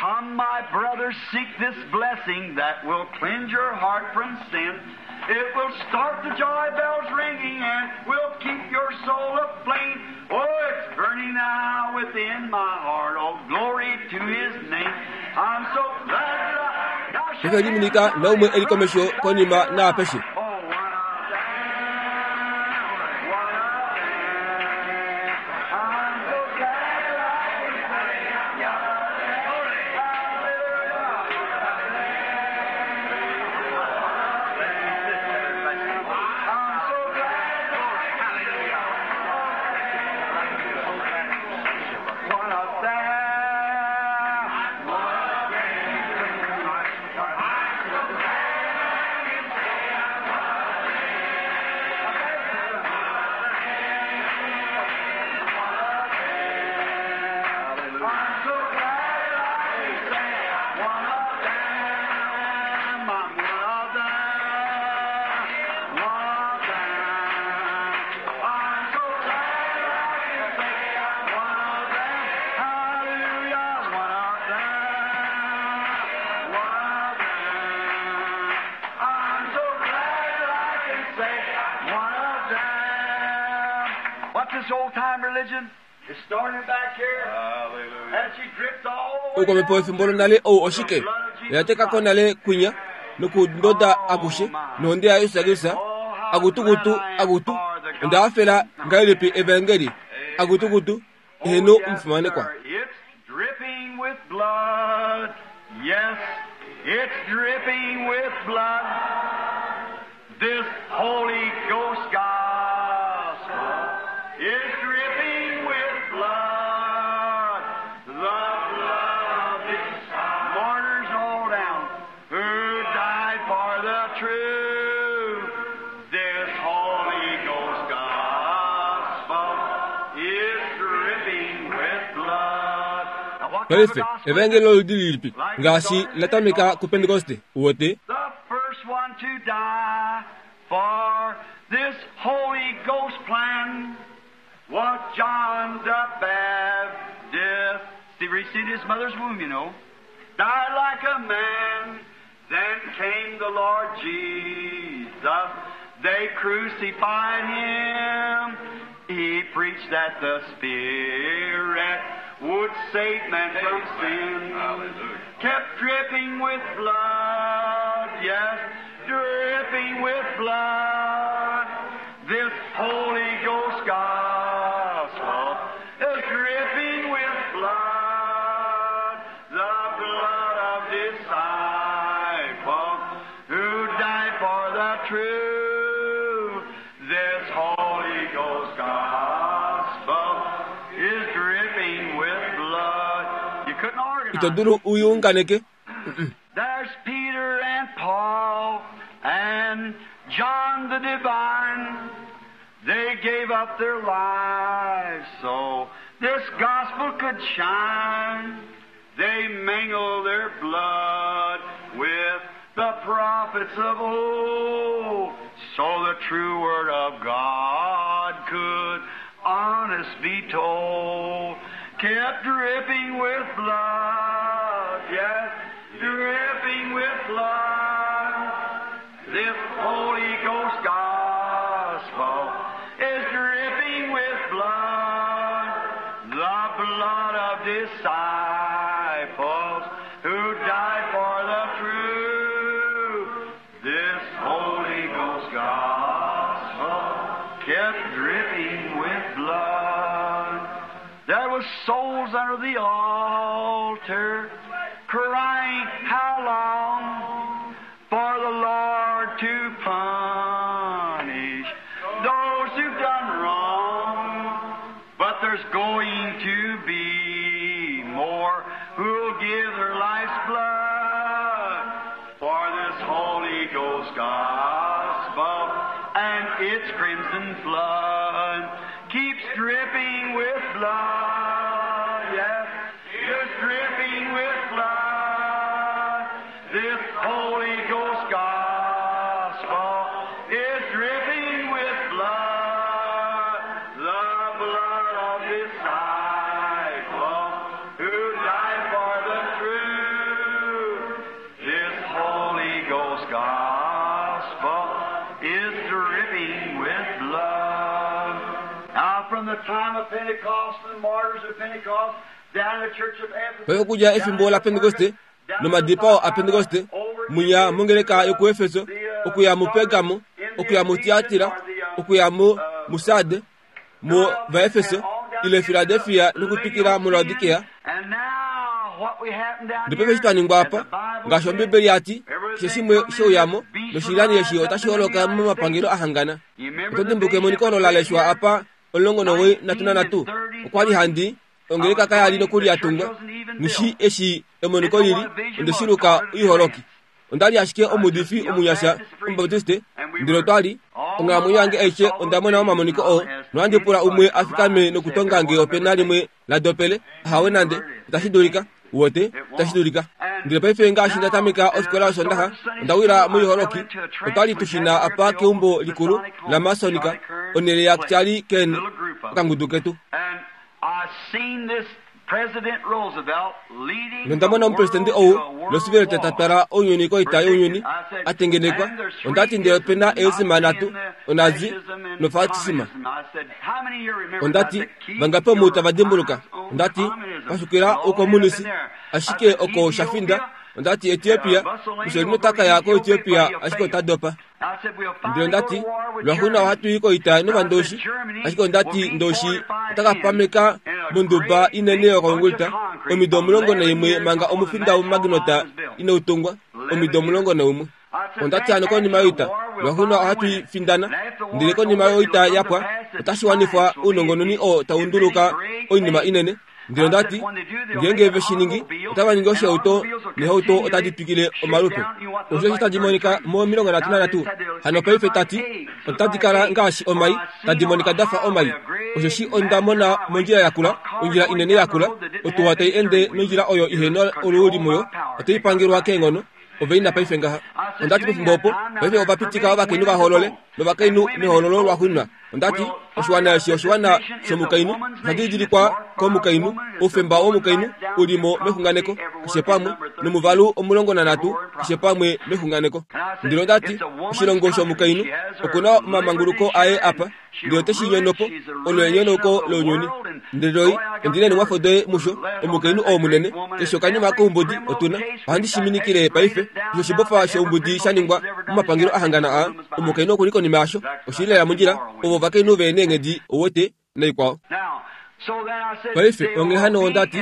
Come, my brothers, seek this blessing that will cleanse your heart from sin. It will start the joy bells ringing and will keep your soul aflame. Oh, it's burning now within my heart. Oh, glory to His name. I'm so glad that I... Now shake Peke liminika naumwe eli komesho konima naapeshe. Oh, one of them, one of them. I'm so glad that I can say, hallelujah. I'm so glad. One of them, one of I'm so glad I can say one of them. I'm one of them. One of them. I'm so glad I can say I'm one of them. Hallelujah. One of them. One of them. I'm so glad that I can say one of them. What's this old time religion? It started back here. And she dripped all the way Oukwamhepo down. wefimbo lonale ou oshike? Oyatekako nale kwinya nokundoda akushe nohonde ya Yesu Kristus akutukutu akutu onda hafela ngahelipi evangeli akutukutu eheno Oh, yes, omufimanekwa. sir. It's dripping with blood. Yes, it's dripping with blood. This Holy Ghost gospel is dripping with blood. The blood of its martyrs all down who died for the truth. This Holy Ghost gospel is dripping with blood. Now, what kind of Paife gospel is evangeli it? oludi lilipi ngaashi latameka kupentekoste uwete The first one to die for this Holy Ghost plan was John the Baptist. He received his mother's womb, you know. Died like a man. Then came the Lord Jesus. They crucified him. He preached that the Spirit would save men from sin. Kept dripping with blood, yes, dripping with blood. This Holy Ghost gospel is dripping with blood, the blood of disciples who died for the truth. This Holy Ghost gospel is dripping with blood. You couldn't organize ito it. dulu uyiunganeke There's Peter and Paul and John the Divine. They gave up their lives so this gospel could shine. They mingled their blood with the prophets of old so the true word of God could honest be told. Kept dripping with blood, yes, dripping with blood. This Holy Ghost gospel is dripping with blood, the blood of disciples who died for the truth. This Holy Ghost gospel kept dripping with blood. There was souls under the altar crying, How long for the Lord to punish those who've done wrong? But there's going to be more who'll give their life's blood for this Holy Ghost gospel and its crimson flood keeps dripping with blood. Yes, it's dripping with blood. This Holy Ghost gospel is dripping with blood, the blood of disciples who died for the truth. gospel is dripping with blood. Now from the time of Pentecost and the martyrs of Pentecost down to the church of Ephesus, Paife okudja efimbo laPentekoste nomadipao aPentekoste munya mongeleka yokuEfeso okuya muPergamo okuya muTiatira okuya mu muSarde mu vaEfeso ile Filadelfia nokutwikila muLaodikea. And now what we happen down Ndele paife eshi twa ningwa apa, ngaashi Ombibeli ya ti, keshe shimwe shouyamo noshilyani eshi otashi holoka momapangelo a hangana. Oto dimbuka emoniko olo la leshwa apa 93? Okwa li handi ongeleka kaya li nokuli ya tungwa. Nghi eshi emoniko lili, onde shi luka oiholoki. Onda li ashike omuudifi omunyasha Omubaptiste, ndele otwa li onghalamwenyo yange aishe onda mona omamoniko oo, nohandi pula umwe a fikame nokutonga nge ope na limwe la dopele. Ahawe nande, itashi dulika. Uwete, itashi dulika. Ndele paife ngaashi nda tameka ofikola yOsondaxa, onda wila moiholoki. Otwa li tu shi na apa keumbo likulu laMasonica, onhele yaCharlie Kern, okangudu ketu. And I seen this President Roosevelt leading Nonda mona the omupresidente world ou to a world Roosevelt ta war. twala ounyuni koita younyuni a tengenekwa. Onda ti ndele ope na eesima nhatu, oNazi noFascisma. Onda ti, Vangapi omu tava dimbuluka? Onda ti, Pashukila oukomunisi, ashike oko sha finda. Onda ti, Etiopia, Mussolini ota ka ya koEtiopia ashike ota dopa. Ndele onda ti, Lwaxuuninwa ohatu i koita nOvandoshi, ashike onda ti Ndoshi ota ka pameka monduba inene yokoongulita omido 11 manga omufinda womuMaginot inau tungwa, omido 11. Onda ti hano konima yoita, lwaxuuninwa ohatu i findana, ndele konima yoita ya pwa, otashi wanifwa ounongononi oo tau nduluka oinima inene. Ndele onda ti, Ngeenge ve shi ningi, otava ningi oshihauto neehauto otadi twikile omalupe. Osho eshi tadi monika mo 33. Hano paife ta ti, Otadi kala ngaashi omai, tadi monika da fa omai. Osheshi onda mona mondjila yakula, ondjila inene yakula, otuwa tai ende nondjila oyo ihe na oluuli muyo, otai pangelwa keenghono. Ove ina paife ngaha. Onda ti pefimbo opo, paife ova pitika ovakainhu va hoolole, novakainhu mehoololo lwaxuuninwa. Onda ti, Oshiwana eshi oshiwana shomukainhu, osha didilikwa komukainhu, oufemba womukainhu u li mo mexunganeko, keshe pamwe, nomuvalu 13 keshe pamwe mexunganeko. Ndele onda ti, Oshilongo shomukainhu, oku na omamanguluko aye apa, ndele ote shi nyono po, olo enyonauko lounyuni. Ndele Roy, ondi na eenhumwafo doye musho, omukainhu oo munene, keshe okanima koumbudi otu na. Ohandi shi minikile paife, keshe oshibofa shoumbudi sha ningwa momapangelo a hangana aa, omukainhu oku li konima yasho. Oshi li lela mondjila, ovo ovakainhu ve neenghedi, ouwete, naikwao. Paife, onghee hano onda ti,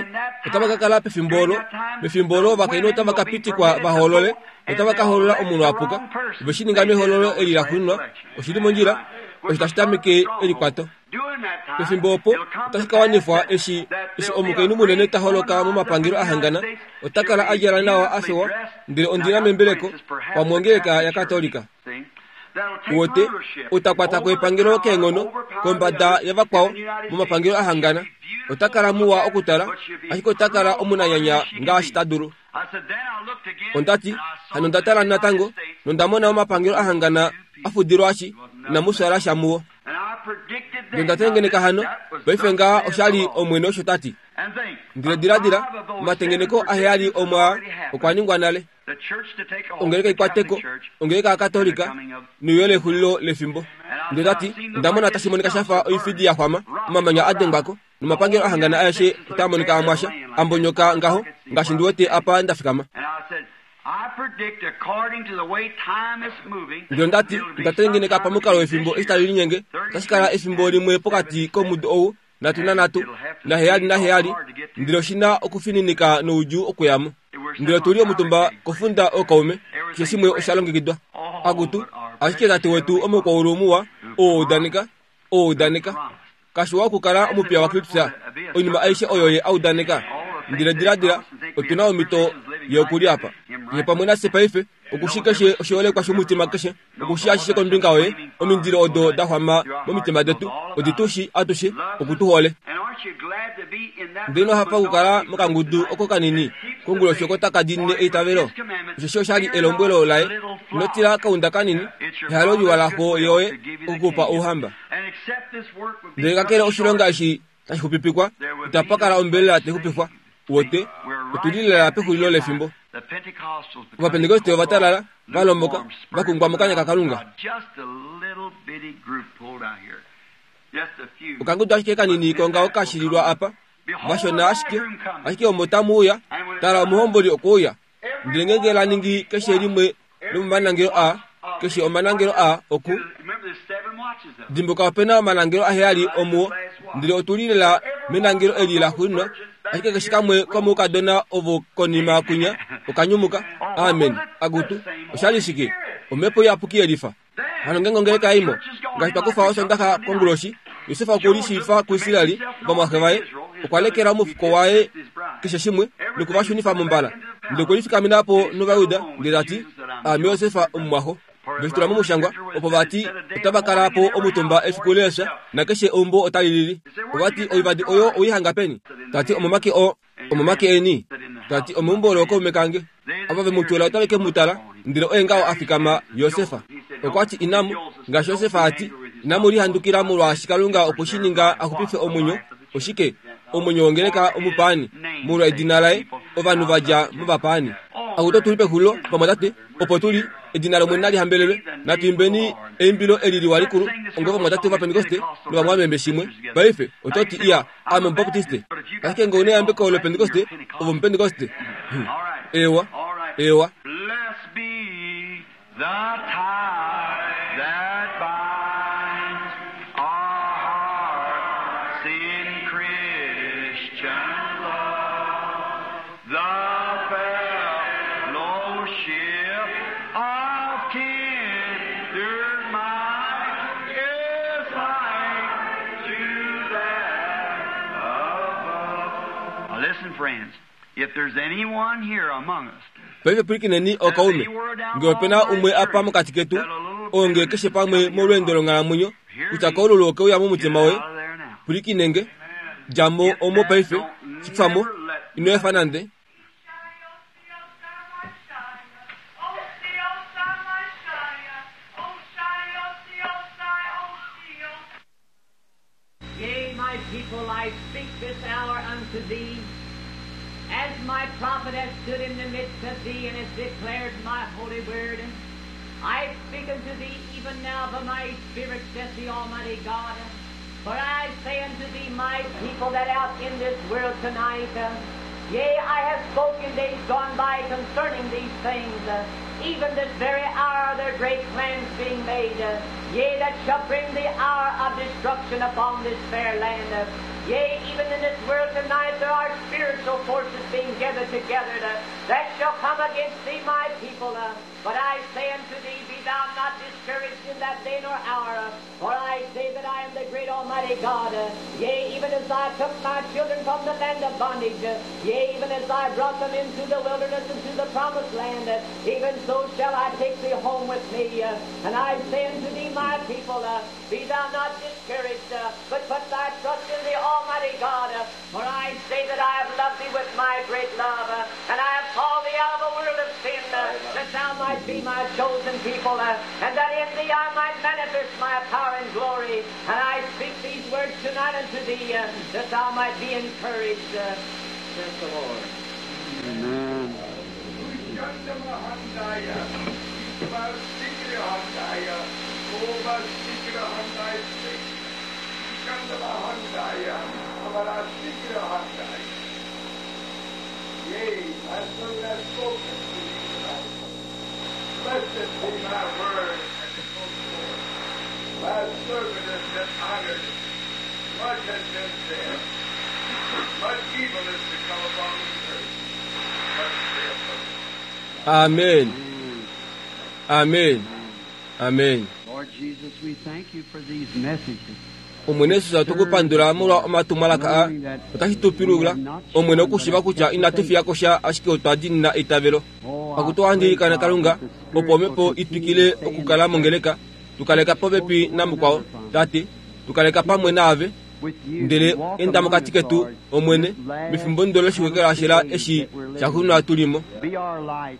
otava ka kala pefimbo olo, mefimbo olo ovakainhu otava ka pitikwa va hoolole, notava ka hoolola omunhu a puka. Ove shi ninga mehoololo eli laxuuninwa. Oshi li mondjila. Osho tashi tameke elikwato. Pefimbo opo, otashi ka wanifwa eshi, eshi omukainhu munene ta holoka momapangelo a hangana, ota kala a djala nawa a fewa, ndele ondi na membeleko, pamwe ongeleka yaKatolika. Uwete, ota kwata ko epangelo keenghono kombada yavakwao momapangelo a hangana. Ota kala muwa okutala, ashike ota kala omunanyanya ngaashi ta dulu. Onda ti, Hano onda tala natango, nonda mona omapangelo a hangana a fudilwashi, inamu fyaala sha muwo. Nonda tengeneka hano, paife ngaha osha li Omwene osho ta ti. Ndele diladila, omatengeneko aheyali omwaa okwa ningwa nale. Ongeleka i kwate ko, ongeleka yaKatolika, neuyo lexulilo lefimbo. Ndele ta ti, Onda mona tashi monika sha fa oifidi ya xwama, omamanya a dengwa ko, nomapangelo a hangana aeshe otaa monika a mwasha, a mbonyoka ngaho, ngaashi ndi wete apa nda fikama. Ndele onda ti, Onda tengeneka pamukalo wefimbo eshi tali linyenge, otashi kala efimbo limwe pokati komudo ou nhatu nanhatu naheyali naheyali, ndele oshi na okufininika noudjuu okuya mo. Ndele otu li omutumba kofunda ookaume, keshe shimwe osha longekidwa. Akutu, ashike Tate wetu omukwaulu muwa, oo a udaneka, oo a udaneka. Kashiwa okukala omupiya waKristus, oinima aishe oyo ye a udaneka. Ndele diladila, otu na omhito ye oku li apa. Ye pamwe nafye paife, oku shii keshe oshiholekwa shomutima keshe, oku shii ashishe kombinga yoye, omindilo odo da xwama momitima detu, odi tu shii atushe, oku tu hole. Ndele ino hafa okukala mokangudu oko kanini konguloshi oko taka diinine eitavelo? Osheshi osha li elombwelo laye, Ino tila kaunda kanini, ehalo liwa laxo yoye oku ku pa ouhamba. Ndele kakele oshilonga eshi tashi xupipikwa, itapa kala ombelela tai xupifwa. Uwete, otu li lela pexulilo lefimbo. Ovapentekoste ova talala, va lomboka, va kungwa mokanya kaKalunga. Okangudu ashike kanini kongaho ka shililwa apa, vashona ashike, ashike omo tamu uya, tala omuhomboli okwe uya. Ndele ngeenge la ningi keshe limwe lomomanangelo aa, keshe omanangelo aa oku dimbuka ope na omanangelo aheyali omuo, ndele otu li lela menangelo eli la xuuninwa, ashike keshe kamwe komoukadona ovo konima kwinya oka nyumuka. Amen. Akutu, osha li shike? Omhepo Iyapuki yelifa. Hano ngeenge ongeleka ya imo, ngaashi twa kufa Osondaxa konguloshi, Josef okwe lishiifa kuIsrael, ovamwaxe vaye, okwa lekela omufuko waye keshe shimwe, noku va shunifa mombala. Ndele okwe lifikamena po nOvayuda, ndele ta ti, Aame Josef omumwaxo. Ve shi tula momushangwa, opo va ti otava kala po omutumba efiku leefya, nakeshe eumbo otali lili. Ova ti, Oivadi oyo owei hanga peni? Ta ti, Omomake oo. Omomake eni, ta ti, Omeumbo lookaume kange. Ava ve mu tula otave ke mu tala, ndele oye ngaho a fikama, Josef. Okwa ti, Inamu, ngaashi Josef a ti, inamu lihandukila molwaashi Kalunga okwe shi ninga a xupife omwenyo, oshike, omwenyo wongeleka omupaani, molwa edina laye, ovanhu va dja movapaani. Akutu otu li pexulilo, vamwatate, opo tu li, edina lOmwene nali hambelelwe. Natu imbeni eimbilo eli liwa likulu, ongovamwatate Ovapentekoste novamwameme shimwe. Paife, oto ti, Iya, Ame Omubaptiste. Ashike nge ou na eyambeko lOpentekoste, ove Omupentekoste. Hum. Eewa. Eewa. Blessed be the tie that binds our hearts in Christian love, the fellowship of kindred might is like to that above. Now listen, friends, if there's anyone here among us Paife pwilikineni ookaume, nge ope na umwe apa mokati ketu, oo nge keshe pamwe molweendo longhalamwenyo, kutya koululu oke uya momutima woye, pwilikine nge, dja mo omo paife, shi kufa mo, ino efa nande. Yea, my people, I speak this hour unto thee, as my prophet hath stood in the midst of thee and hath declared my holy word. I speak unto thee even now by my Spirit, saith the Almighty God. For I say unto thee, my people that out in this world tonight, yea, I have spoken days gone by concerning these things, even this very hour are there great plans being made, yea, that shall bring the hour of destruction upon this fair land. Yea, even in this world tonight there are spiritual forces being gathered together that shall come against thee, my people. But I say unto thee, be thou not discouraged in that day nor hour, for I say that I am the great Almighty God. Yea, even as I took my children from the land of bondage, yea, even as I brought them into the wilderness and to the promised land, even so shall I take thee home with me. And I say unto thee, my people, be thou not discouraged, but put thy trust in the Almighty God. For I say that I have loved thee with my great love, and I have called thee out of a world of sin, that thou might be my chosen people, and that in thee I might manifest my power and glory. And I speak these words tonight unto thee, that thou might be encouraged, saith the Lord. Amen. Yea, my servant hath spoken to thee tonight. Blessed be my word and spoke forth. My servant has been honored. Much has been said. Much evil is to come upon the earth. Thus saith the Lord. Amen. Amen. Amen. Lord Jesus, we thank you for these messages. Omwene Jesus, otu ku pandula molwa omatumwalaka aa. Otashi tu pilula, Omwene, okushiva kutya inatu fiya ko sha ashike otwa diinina eitavelo. Akutu ohandi ilikana, Kalunga, opo Omhepo i twikile okukala mongeleka, tu kaleka popepi namukwao, Tate, tu kaleka pamwe naave. Ndele enda mokati ketu, Omwene, mefimbo ndo loshiwekelashela eshi sha xunwa tu li mo.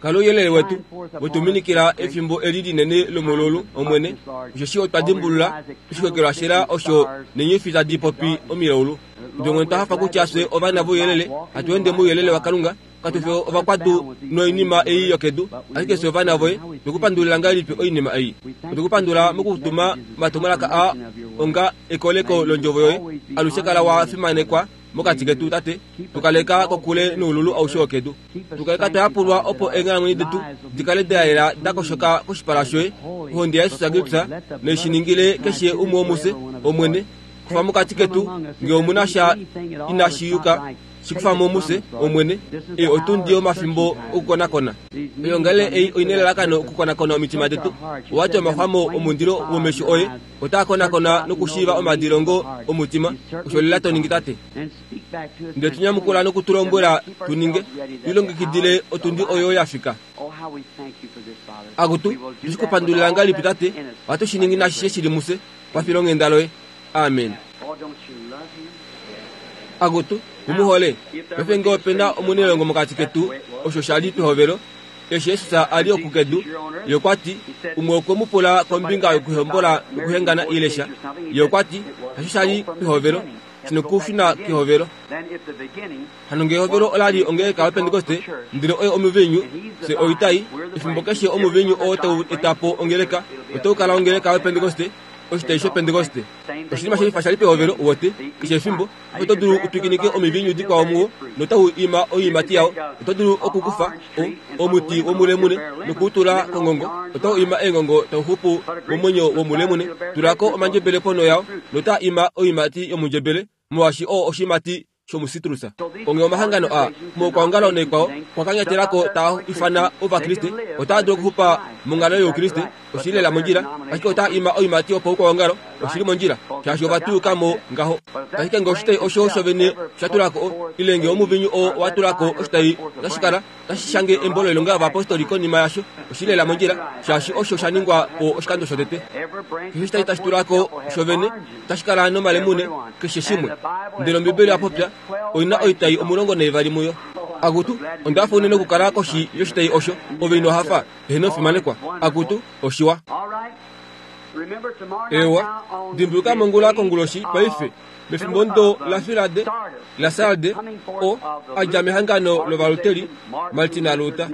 Kala ouyelele wetu, we tu minikila efimbo eli linene lomololu, Omwene, osheshi otwa dimbulula oshiwekelwashela osho neenyofi tadi popi omilaulu. Ndele Omwene, otwa hafa kutya fye ovana vouyelele, hatu ende mouyelele waKalunga, Katu fi ovakwadu noinima ei yokedu, ashike fye ovana voye. Otwe ku pandulila ngahelipi oinima ei? Otwe ku pandula mokutuma omatumwalaka aa onga ekoleko londjovo yoye. Alushe kala wa fimanekwa mokati ketu, Tate. Tu kaleka kokule noululu aushe wokedu. Tu kaleka twa yapulwa opo eenghalamwenyo detu di kale da yela da koshoka koshipala shoye. Ohonde yaJesus Kristus nai shi ningile keshe umwe womufye, Omwene. Kufa mokati ketu nge omu na sha inashi yuka, shi kufa mo mufye, Omwene. Ei otundi yomafimbo okukonakona. Oyoongalele ei oi nelalakano okukonakona omitima detu. Owa ti omaxwamo omundilo womesho oye otaa konakona nokushiiva omadilongo omutima. Osho lela to ningi, Tate. Ndele tu nyamukula noku tu lombwela tu ninge, tu lilongekidile otundi oyo ya fika. Akutu, tu shi ku pandulila ngahelipi, Tate? Ohatu shi ningi naashishe shi li mufye, pafilonghenda loye. Amen. Akutu, mu mu hole? Paife ngee ope na omunailongo mokati ketu, osho sha li pehovelo, eshi Jesus a li oku kedu, Ye okwa ti, umwe okwe mu pula kombinga yokuhombola nokuhengana ile sha. Ye okwa ti, Hasho sha li pehovelo, shi nokushuna kehovelo. Hano ngee ehovelo ola li ongeleka yoPentekoste, ndele oye omuviinyu, fye oitai, efimbo keshe omuviinyu oo tau eta po ongeleka, otau kala ongeleka yoPentekoste, oshitai shOpentekoste. Oshinima shelifa sha li pehovelo, uwete, keshe efimbo. Oto dulu u twikinike omiviinyu dikwao muwo, notau ima oiimati yao. Oto dulu okukufa o, omuti womulemune noku u tula kongongo, otau ima eengongo tau xupu momwenyo womulemune. Tula ko omandjebele ponho yao, notaa ima oiimati yomundjebele, molwaashi oo oshiimati shomusitrus. Onghee omahangano aa moukwaongalo naikwao okwa kanyatela ko taa ifana Ovakriste, otaa dulu okuxupa monghalo yOukriste, oshi li lela mondjila, ashike otaa ima oiimati yopaukwaongalo, oshi li mondjila, shaashi ova tuyuka mo ngaho. Ashike ngee oshitai osho shovene sha tula ko, ile ngee omuvinyu oo owa tula ko oshitai, otashi kala tashi shange embo lOilonga yOvayapostoli konima yasho. Oshi li lela mondjila, shaashi osho sha ningwa po oshikando shotete. Keshe oshitai tashi tula ko shovene, otashi kala nomalemune, keshe shimwe. Ndele Ombibeli oya popya, Oi na oitai 12 muyo. Akutu, onda hafa unene okukala koshi yoshitai osho. Ove ino hafa? Eheno fimanekwa. Akutu, oshiwa. Eewa, dimbuluka mongula konguloshi paife, mefimbo ndo laFilade, laSarde, o, a dja mehangano lOvaluteri, Martina Luther.